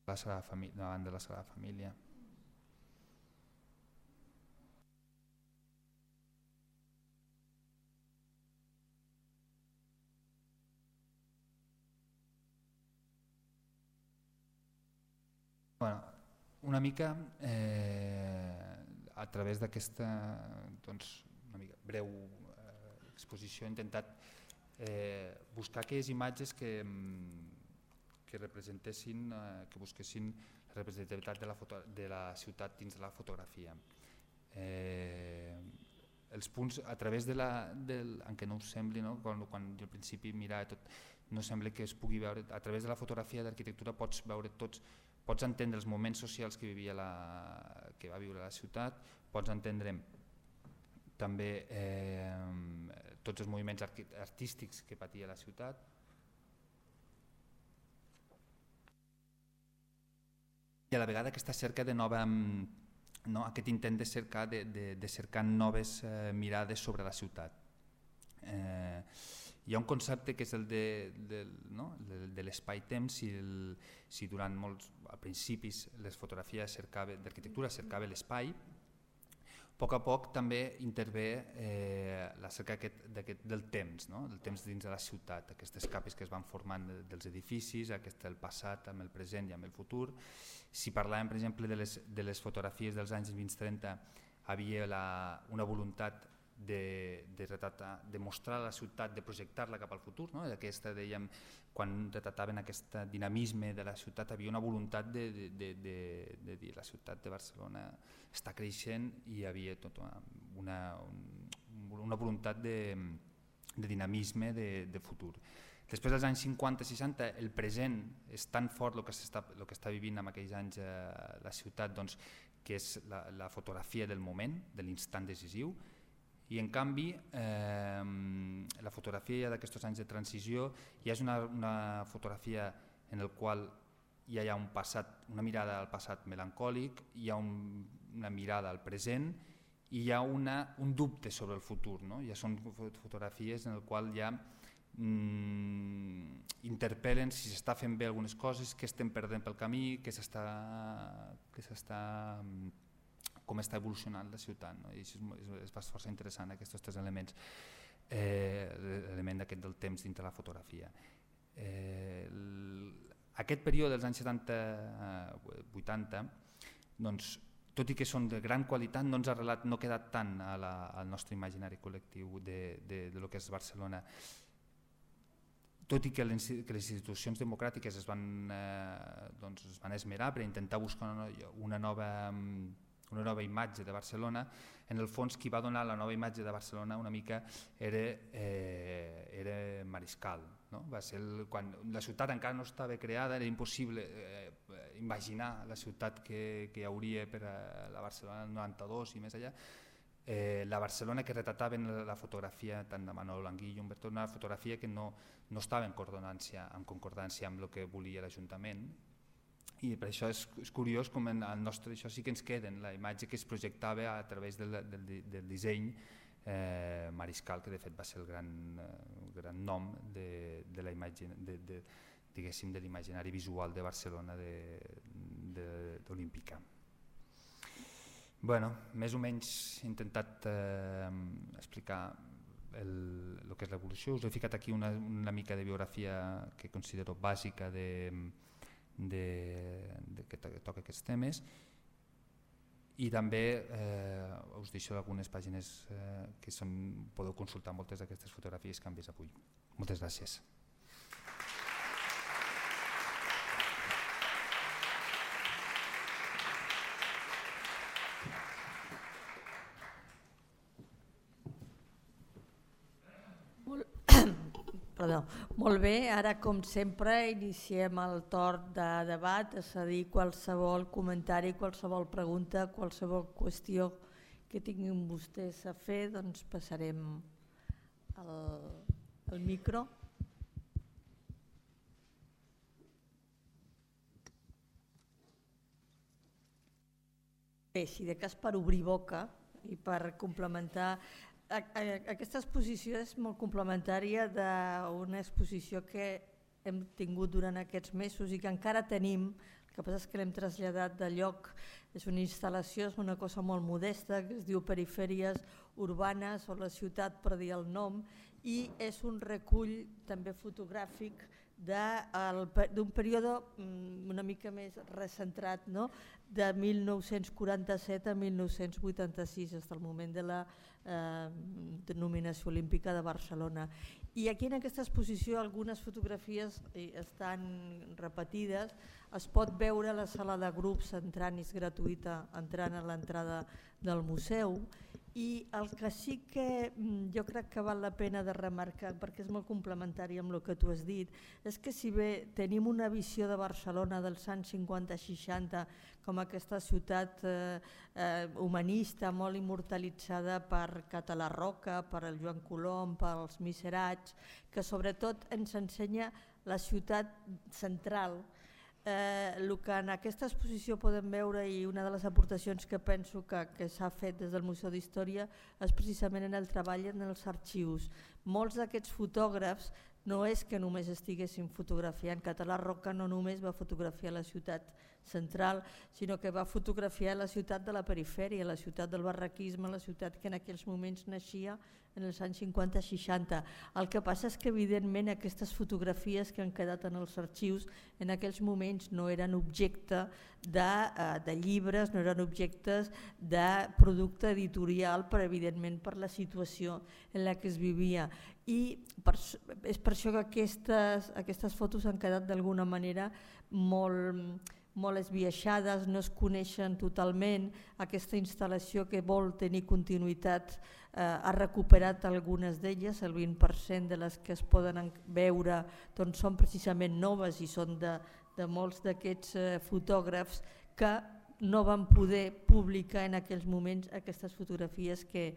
La Sagrada Família, davant de la Sagrada Família. Bueno, una mica eh, a través d'aquesta doncs, una mica breu eh, exposició he intentat eh, buscar aquelles imatges que que representessin, eh, que busquessin la representativitat de la, foto, de la ciutat dins de la fotografia. Eh, els punts, a través de la, del, en què no us sembli, no? quan, quan jo al principi mirava tot, no sembla que es pugui veure, a través de la fotografia d'arquitectura pots veure tots, pots entendre els moments socials que, vivia la, que va viure la ciutat, pots entendre també eh, tots els moviments artístics que patia la ciutat, i a la vegada aquesta cerca de nova, no, aquest intent de cercar, de, de, de cercar noves eh, mirades sobre la ciutat. Eh, hi ha un concepte que és el de, de, no, de, de l'espai-temps. Si, el, si durant molts, a principis les fotografies d'arquitectura cercava l'espai, a poc a poc també intervé eh, la cerca aquest, aquest, del temps, no? Del temps dins de la ciutat, aquestes capes que es van formant dels edificis, aquest el passat amb el present i amb el futur. Si parlàvem, per exemple, de les, de les fotografies dels anys vint trenta, havia la, una voluntat de, de, retratar, de mostrar la ciutat, de projectar-la cap al futur, no? Aquesta, dèiem, quan retrataven aquest dinamisme de la ciutat, havia una voluntat de, de, de, de, de dir la ciutat de Barcelona està creixent i hi havia tota una, una, una voluntat de, de dinamisme de, de futur. Després dels anys cinquanta seixanta el present és tan fort el que està, el que està vivint en aquells anys eh, la ciutat, doncs, que és la, la fotografia del moment, de l'instant decisiu, i en canvi eh, la fotografia d'aquests anys de transició ja és una, una fotografia en la qual ja hi ha un passat, una mirada al passat melancòlic, hi ha un, una mirada al present i hi ha una, un dubte sobre el futur, no? Ja són fotografies en les quals ja mm, interpel·len si s'està fent bé algunes coses, què estem perdent pel camí, què s'està, què s'està, com està evolucionant la ciutat, no? I això és, és força interessant, aquests tres elements, eh, l'element aquest del temps dintre la fotografia. Eh, aquest període dels anys setanta vuitanta, doncs, tot i que són de gran qualitat, no ens ha arrelat, no ha quedat tant a la, al nostre imaginari col·lectiu de, de, de lo que és Barcelona. Tot i que les, que les institucions democràtiques es van, eh, doncs es van esmerar per intentar buscar una, una, nova, una nova imatge de Barcelona, en el fons qui va donar la nova imatge de Barcelona una mica era, eh, era Mariscal. No? Va ser el, quan la ciutat encara no estava creada, era impossible eh, imaginar la ciutat que, que hi hauria per a la Barcelona del noranta-dos i més allà. Eh, la Barcelona que retrataven la, la fotografia tant de Manolo Anguillo, Humberto, una fotografia que no, no estava en concordància, en concordància amb el que volia l'Ajuntament, i per això és, és curiós com en el nostre, això sí que ens queda, la imatge que es projectava a través del, del, del disseny eh, Mariscal, que de fet va ser el gran, el gran nom de, de la imatge, de, de, diguéssim, de l'imaginari visual de Barcelona d'Olímpica. Bueno, més o menys he intentat eh, explicar el, el que és l'evolució. Us he ficat aquí una, una mica de biografia que considero bàsica de, de, de que toca aquests temes, i també eh, us deixo algunes pàgines eh, que són, podeu consultar moltes d'aquestes fotografies que han vist avui. Moltes gràcies. Perdó. Molt bé, ara com sempre iniciem el torn de debat, és a dir, qualsevol comentari, qualsevol pregunta, qualsevol qüestió que tinguin vostès a fer, doncs passarem el, el micro. Bé, si de cas per obrir boca i per complementar. Aquesta exposició és molt complementària d'una exposició que hem tingut durant aquests mesos i que encara tenim, el que passa és que l'hem traslladat de lloc, és una instal·lació, és una cosa molt modesta que es diu Perifèries Urbanes o la ciutat per dir el nom, i és un recull també fotogràfic d'un període una mica més recentrat, no? De mil nou-cents quaranta-set a mil nou-cents vuitanta-sis, fins al moment de la eh, denominació olímpica de Barcelona. I aquí en aquesta exposició algunes fotografies estan repetides, es pot veure a la sala de grups entrant, és gratuïta, entrant a l'entrada del museu. I el que sí que jo crec que val la pena de remarcar, perquè és molt complementari amb el que tu has dit, és que si bé tenim una visió de Barcelona dels anys cinquanta seixanta com aquesta ciutat eh, eh, humanista, molt immortalitzada per Català Roca, per el Joan Colom, pels Miserats, que sobretot ens ensenya la ciutat central. Eh, el que en aquesta exposició podem veure, i una de les aportacions que penso que, que s'ha fet des del Museu d'Història, és precisament en el treball en els arxius. Molts d'aquests fotògrafs no és que només estiguessin fotografiant, Català Roca no només va fotografiar la ciutat central, sinó que va fotografiar la ciutat de la perifèria, la ciutat del barraquisme, la ciutat que en aquells moments naixia en els anys cinquanta seixanta. El que passa és que evidentment aquestes fotografies que han quedat en els arxius en aquells moments no eren objecte de, de llibres, no eren objectes de producte editorial, però evidentment per la situació en la que es vivia. I per, és per això que aquestes, aquestes fotos han quedat d'alguna manera molt... molt esbiaixades, no es coneixen totalment. Aquesta instal·lació que vol tenir continuïtat eh, ha recuperat algunes d'elles, el vint per cent de les que es poden veure doncs, són precisament noves i són de, de molts d'aquests eh, fotògrafs que no van poder publicar en aquells moments aquestes fotografies que,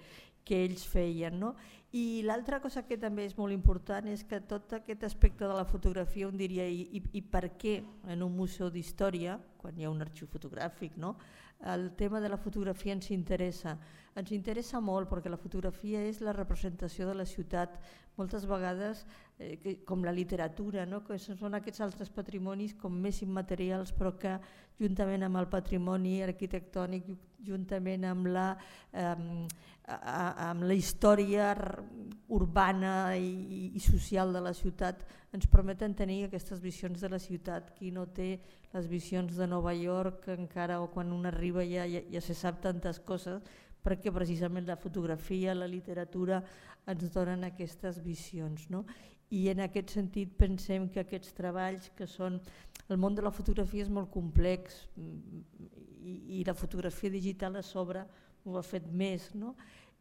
que ells feien. No? I l'altra cosa que també és molt important és que tot aquest aspecte de la fotografia, on diria, i, i, i per què en un museu d'història, quan hi ha un arxiu fotogràfic, no? El tema de la fotografia ens interessa. Ens interessa molt perquè la fotografia és la representació de la ciutat, moltes vegades eh, que, com la literatura, no? Que són aquests altres patrimonis com més immaterials, però que juntament amb el patrimoni arquitectònic, juntament amb la, eh, amb la història urbana i, i social de la ciutat, ens permeten tenir aquestes visions de la ciutat. Qui no té les visions de Nova York encara, o quan un arriba ja, ja, ja se sap tantes coses, perquè precisament la fotografia, la literatura ens donen aquestes visions. No? I en aquest sentit pensem que aquests treballs que són... El món de la fotografia és molt complex i, i la fotografia digital a sobre ho ha fet més, no?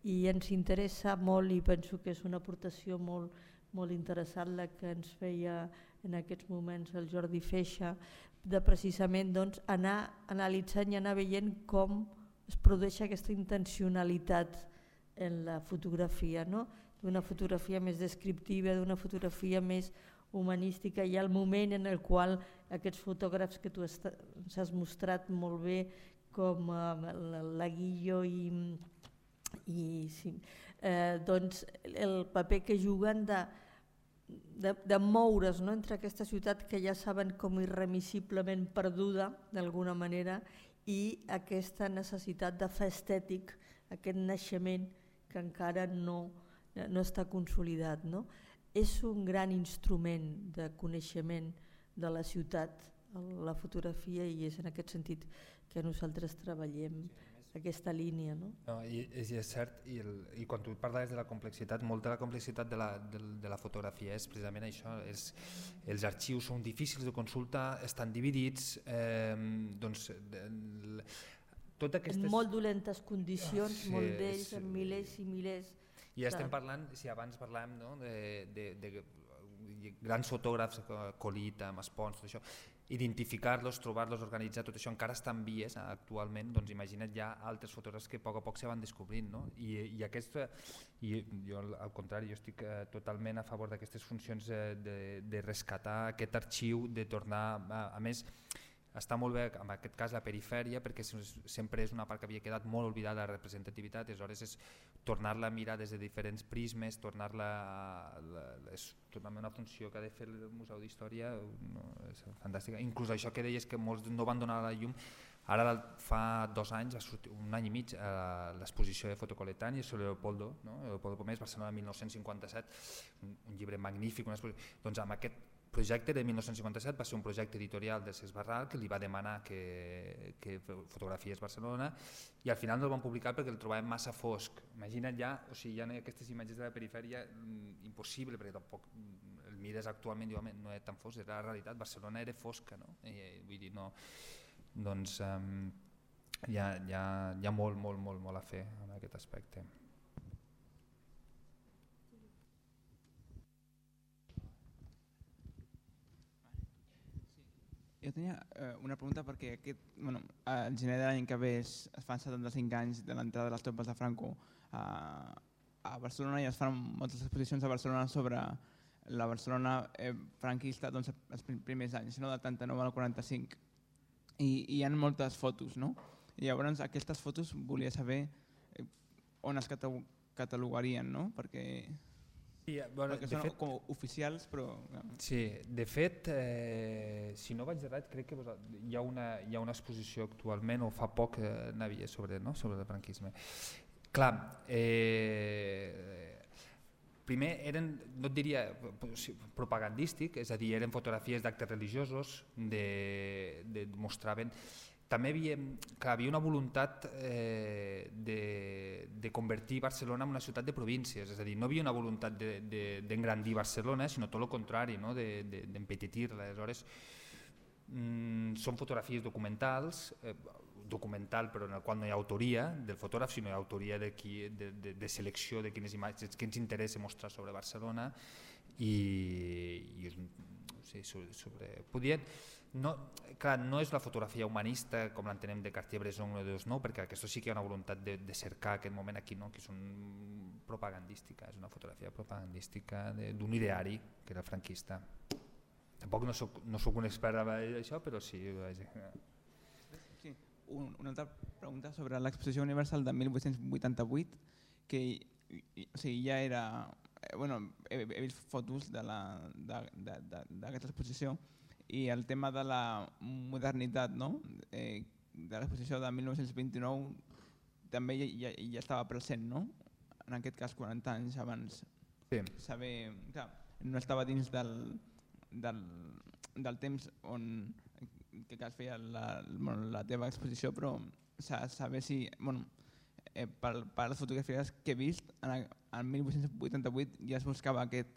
I ens interessa molt i penso que és una aportació molt, molt interessant la que ens feia en aquests moments el Jordi Feixa, de precisament doncs, anar analitzant i anar veient com es produeix aquesta intencionalitat en la fotografia, no? D'una fotografia més descriptiva, d'una fotografia més humanística, i el moment en el qual aquests fotògrafs que tu ens has mostrat molt bé, com eh, la Guillo i, i sí, eh, doncs el paper que juguen de, de, de moure's, no? Entre aquesta ciutat que ja saben com irremissiblement perduda d'alguna manera, i aquesta necessitat de fer estètic, aquest naixement que encara no, no està consolidat. No? És un gran instrument de coneixement de la ciutat, la fotografia, i és en aquest sentit que nosaltres treballem aquesta línia. No? No, i, és, és cert, i, el, i quan tu parlaves de la complexitat, molta de la complexitat de la, de, de la fotografia és precisament això, és, els arxius són difícils de consulta, estan dividits, eh, doncs... De, tot aquestes... En molt dolentes condicions, sí, molt d'ells, amb milers i milers. I ja estem parlant, si abans parlàvem, no, de, de, de, de grans fotògrafs, Colita, Maspons, tot això, identificar-los, trobar-los, organitzar, tot això encara està en vies actualment, doncs imagina't ja altres fotògrafs que a poc a poc se van descobrint, no? I, i, aquesta, i jo al contrari, jo estic eh, totalment a favor d'aquestes funcions eh, de, de rescatar aquest arxiu, de tornar, a, a més, està molt bé en aquest cas la perifèria, perquè sempre és una part que havia quedat molt oblidada, la representativitat, aleshores és tornar-la a mirar des de diferents prismes, tornar-la és totalment una funció que ha de fer el Museu d'Història, no, és fantàstica. Inclús això que deies que molts no van donar la llum, ara fa dos anys, un any i mig, l'exposició de Fotocoletani sobre Leopoldo, no? Leopoldo Pomés, Barcelona mil nou-cents cinquanta-set, un, un llibre magnífic, una doncs amb aquest projecte de mil nou-cents cinquanta-set va ser un projecte editorial de Cesc Barral que li va demanar que, que fotografiés Barcelona, i al final no el van publicar perquè el trobàvem massa fosc. Imagina't ja, o sigui, ja no hi ha aquestes imatges de la perifèria, impossible, perquè tampoc el mires actualment, diu, no era tan fosc, era la realitat, Barcelona era fosca, no? I, vull dir, no, doncs um, hi ha, hi ha, hi ha molt, molt, molt, molt a fer en aquest aspecte. Jo tenia eh, una pregunta perquè aquest, bueno, el gener de l'any que ve es, es fan setanta-cinc anys de l'entrada de les tropes de Franco a, a Barcelona, i es fan moltes exposicions a Barcelona sobre la Barcelona eh, franquista, doncs, els primers anys, no? Del trenta-nou al quaranta-cinc. I, i hi ha moltes fotos, no? I llavors aquestes fotos volia saber eh, on es catalogarien, no? Perquè Sí, bueno, perquè de són fet, com oficials, però... sí, de fet, eh, si no vaig errat, crec que hi ha una, hi ha una exposició actualment, o fa poc eh, n'havia sobre, no? sobre el franquisme. Clar, eh, primer eren, no et diria propagandístic, és a dir, eren fotografies d'actes religiosos, de, de mostraven... També havia, clar, havia una voluntat eh, de, de convertir Barcelona en una ciutat de províncies, és a dir, no havia una voluntat d'engrandir de, de, Barcelona, sinó tot el contrari, no? d'empetitir-la. De, Aleshores, mm, són fotografies documentals, eh, documental però en el qual no hi ha autoria del fotògraf, sinó hi ha autoria de, qui, de, de, de selecció de quines imatges que ens interessa mostrar sobre Barcelona i, i sí, sobre, sobre podien, no, clar, no és la fotografia humanista com l'entenem de Cartier-Bresson o de Osnou, perquè aquesta sí que hi ha una voluntat de, de cercar aquest moment aquí, no? Que és un propagandística, és una fotografia propagandística d'un ideari que era el franquista. Tampoc no soc, no soc un expert en això, però sí. Sí, un, una altra pregunta sobre l'exposició universal de mil vuit-cents vuitanta-vuit, que o sigui, ja era... Eh, bueno, he, he vist fotos d'aquesta exposició i el tema de la modernitat, no? eh, de l'exposició de mil nou-cents vint-i-nou també ja, ja estava present, no? En aquest cas quaranta anys abans. Sí. Saber, clar, no estava dins del, del, del temps on que es feia la, bueno, la teva exposició, però saber si, bueno, eh, per, per les fotografies que he vist, en, en mil vuit-cents vuitanta-vuit ja es buscava aquest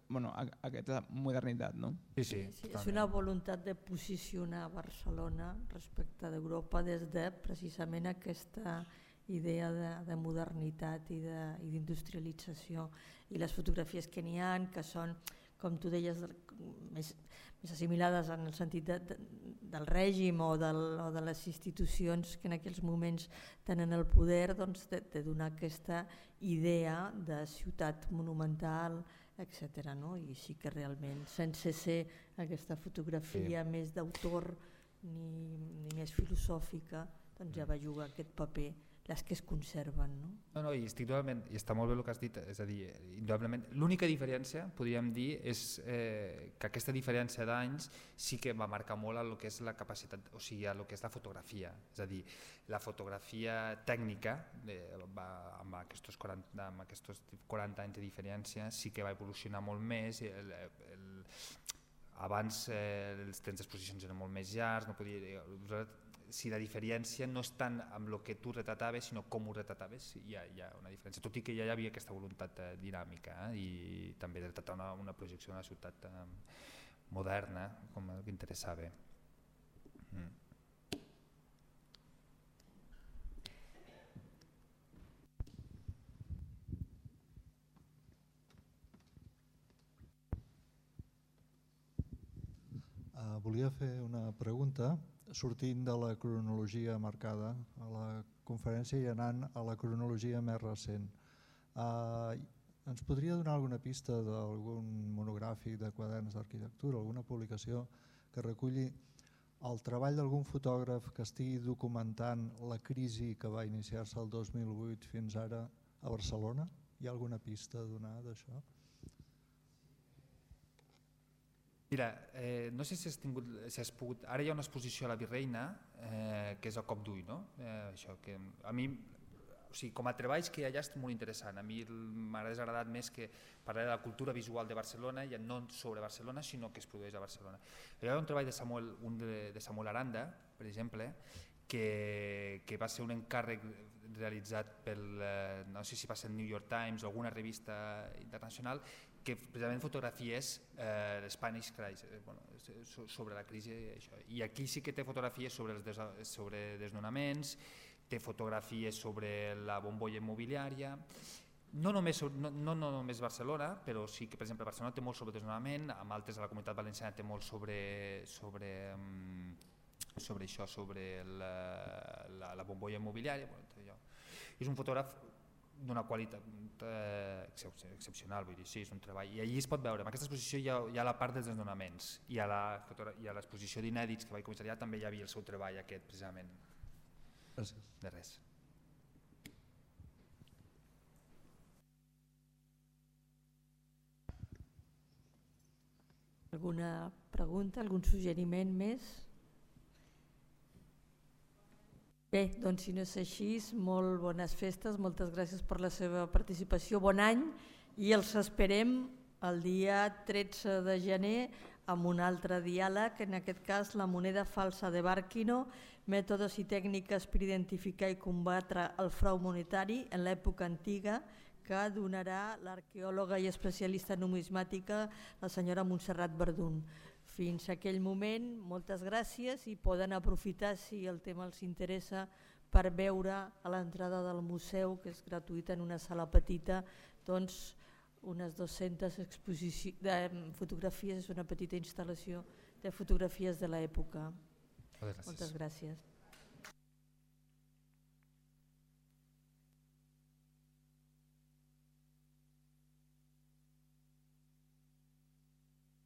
bueno, aquesta modernitat, no? Sí, sí, sí, és una voluntat de posicionar Barcelona respecte d'Europa des de precisament aquesta idea de, de modernitat i d'industrialització, i les fotografies que n'hi ha, que són, com tu deies, més, més assimilades en el sentit de, de, del règim o, del, o de les institucions que en aquells moments tenen el poder, doncs, de, de donar aquesta idea de ciutat monumental, etcètera. No? I sí que realment, sense ser aquesta fotografia sí. més d'autor ni, ni més filosòfica, doncs ja va jugar aquest paper les que es conserven. No? No, no, i estic totalment, i està molt bé el que has dit, és a dir, indudablement, l'única diferència, podríem dir, és eh, que aquesta diferència d'anys sí que va marcar molt el que és la capacitat, o sigui, el que és la fotografia, és a dir, la fotografia tècnica, eh, va, amb, aquests quaranta, amb aquests quaranta anys de diferència, sí que va evolucionar molt més, el, el, abans eh, els temps d'exposicions eren molt més llargs, no podia... si la diferència no és tant amb el que tu retrataves, sinó com ho retrataves, hi ha, hi ha una diferència, tot i que ja hi havia aquesta voluntat eh, dinàmica eh, i també de retratar una, una projecció d'una ciutat eh, moderna, com el que interessava. Mm. Uh, volia fer una pregunta sortint de la cronologia marcada a la conferència i anant a la cronologia més recent. Uh, ens podria donar alguna pista d'algun monogràfic de quaderns d'arquitectura, alguna publicació que reculli el treball d'algun fotògraf que estigui documentant la crisi que va iniciar-se el dos mil vuit fins ara a Barcelona? Hi ha alguna pista a donar d'això? Mira, eh, no sé si has, tingut, si has pogut... Ara hi ha una exposició a la Virreina, eh, que és el cop d'ull, no? Eh, això, que a mi, o sigui, com a treballs que hi ha allà és molt interessant. A mi m'ha desagradat més que parlar de la cultura visual de Barcelona, ja no sobre Barcelona, sinó que es produeix a Barcelona. Hi ha un treball de Samuel, un de, de Samuel Aranda, per exemple, que, que va ser un encàrrec realitzat pel, no sé si va ser el New York Times o alguna revista internacional, que precisament fotografies eh, l'Spanish Crisis, eh, bueno, sobre la crisi. Això. I aquí sí que té fotografies sobre els des, sobre desnonaments, té fotografies sobre la bombolla immobiliària, no només, no, no, no només Barcelona, però sí que per exemple Barcelona té molt sobre desnonament, amb altres de la Comunitat Valenciana té molt sobre, sobre, sobre això, sobre la, la, la bombolla immobiliària. Bueno, és un fotògraf d'una qualitat eh, excepcional, vull dir, sí, és un treball. I allí es pot veure, en aquesta exposició hi ha, hi ha la part dels desnonaments i a l'exposició d'inèdits que vaig comissariar també hi havia el seu treball aquest, precisament. Gràcies. De res. Alguna pregunta, algun suggeriment més? Bé, doncs si no és així, molt bones festes, moltes gràcies per la seva participació, bon any, i els esperem el dia tretze de gener amb un altre diàleg, en aquest cas la moneda falsa de Barquino, mètodes i tècniques per identificar i combatre el frau monetari en l'època antiga, que donarà l'arqueòloga i especialista en numismàtica, la senyora Montserrat Verdun. Fins aquell moment, moltes gràcies, i poden aprofitar, si el tema els interessa, per veure a l'entrada del museu, que és gratuïta en una sala petita, doncs unes dues-centes fotografies, és una petita instal·lació de fotografies de l'època. Moltes gràcies. Moltes gràcies.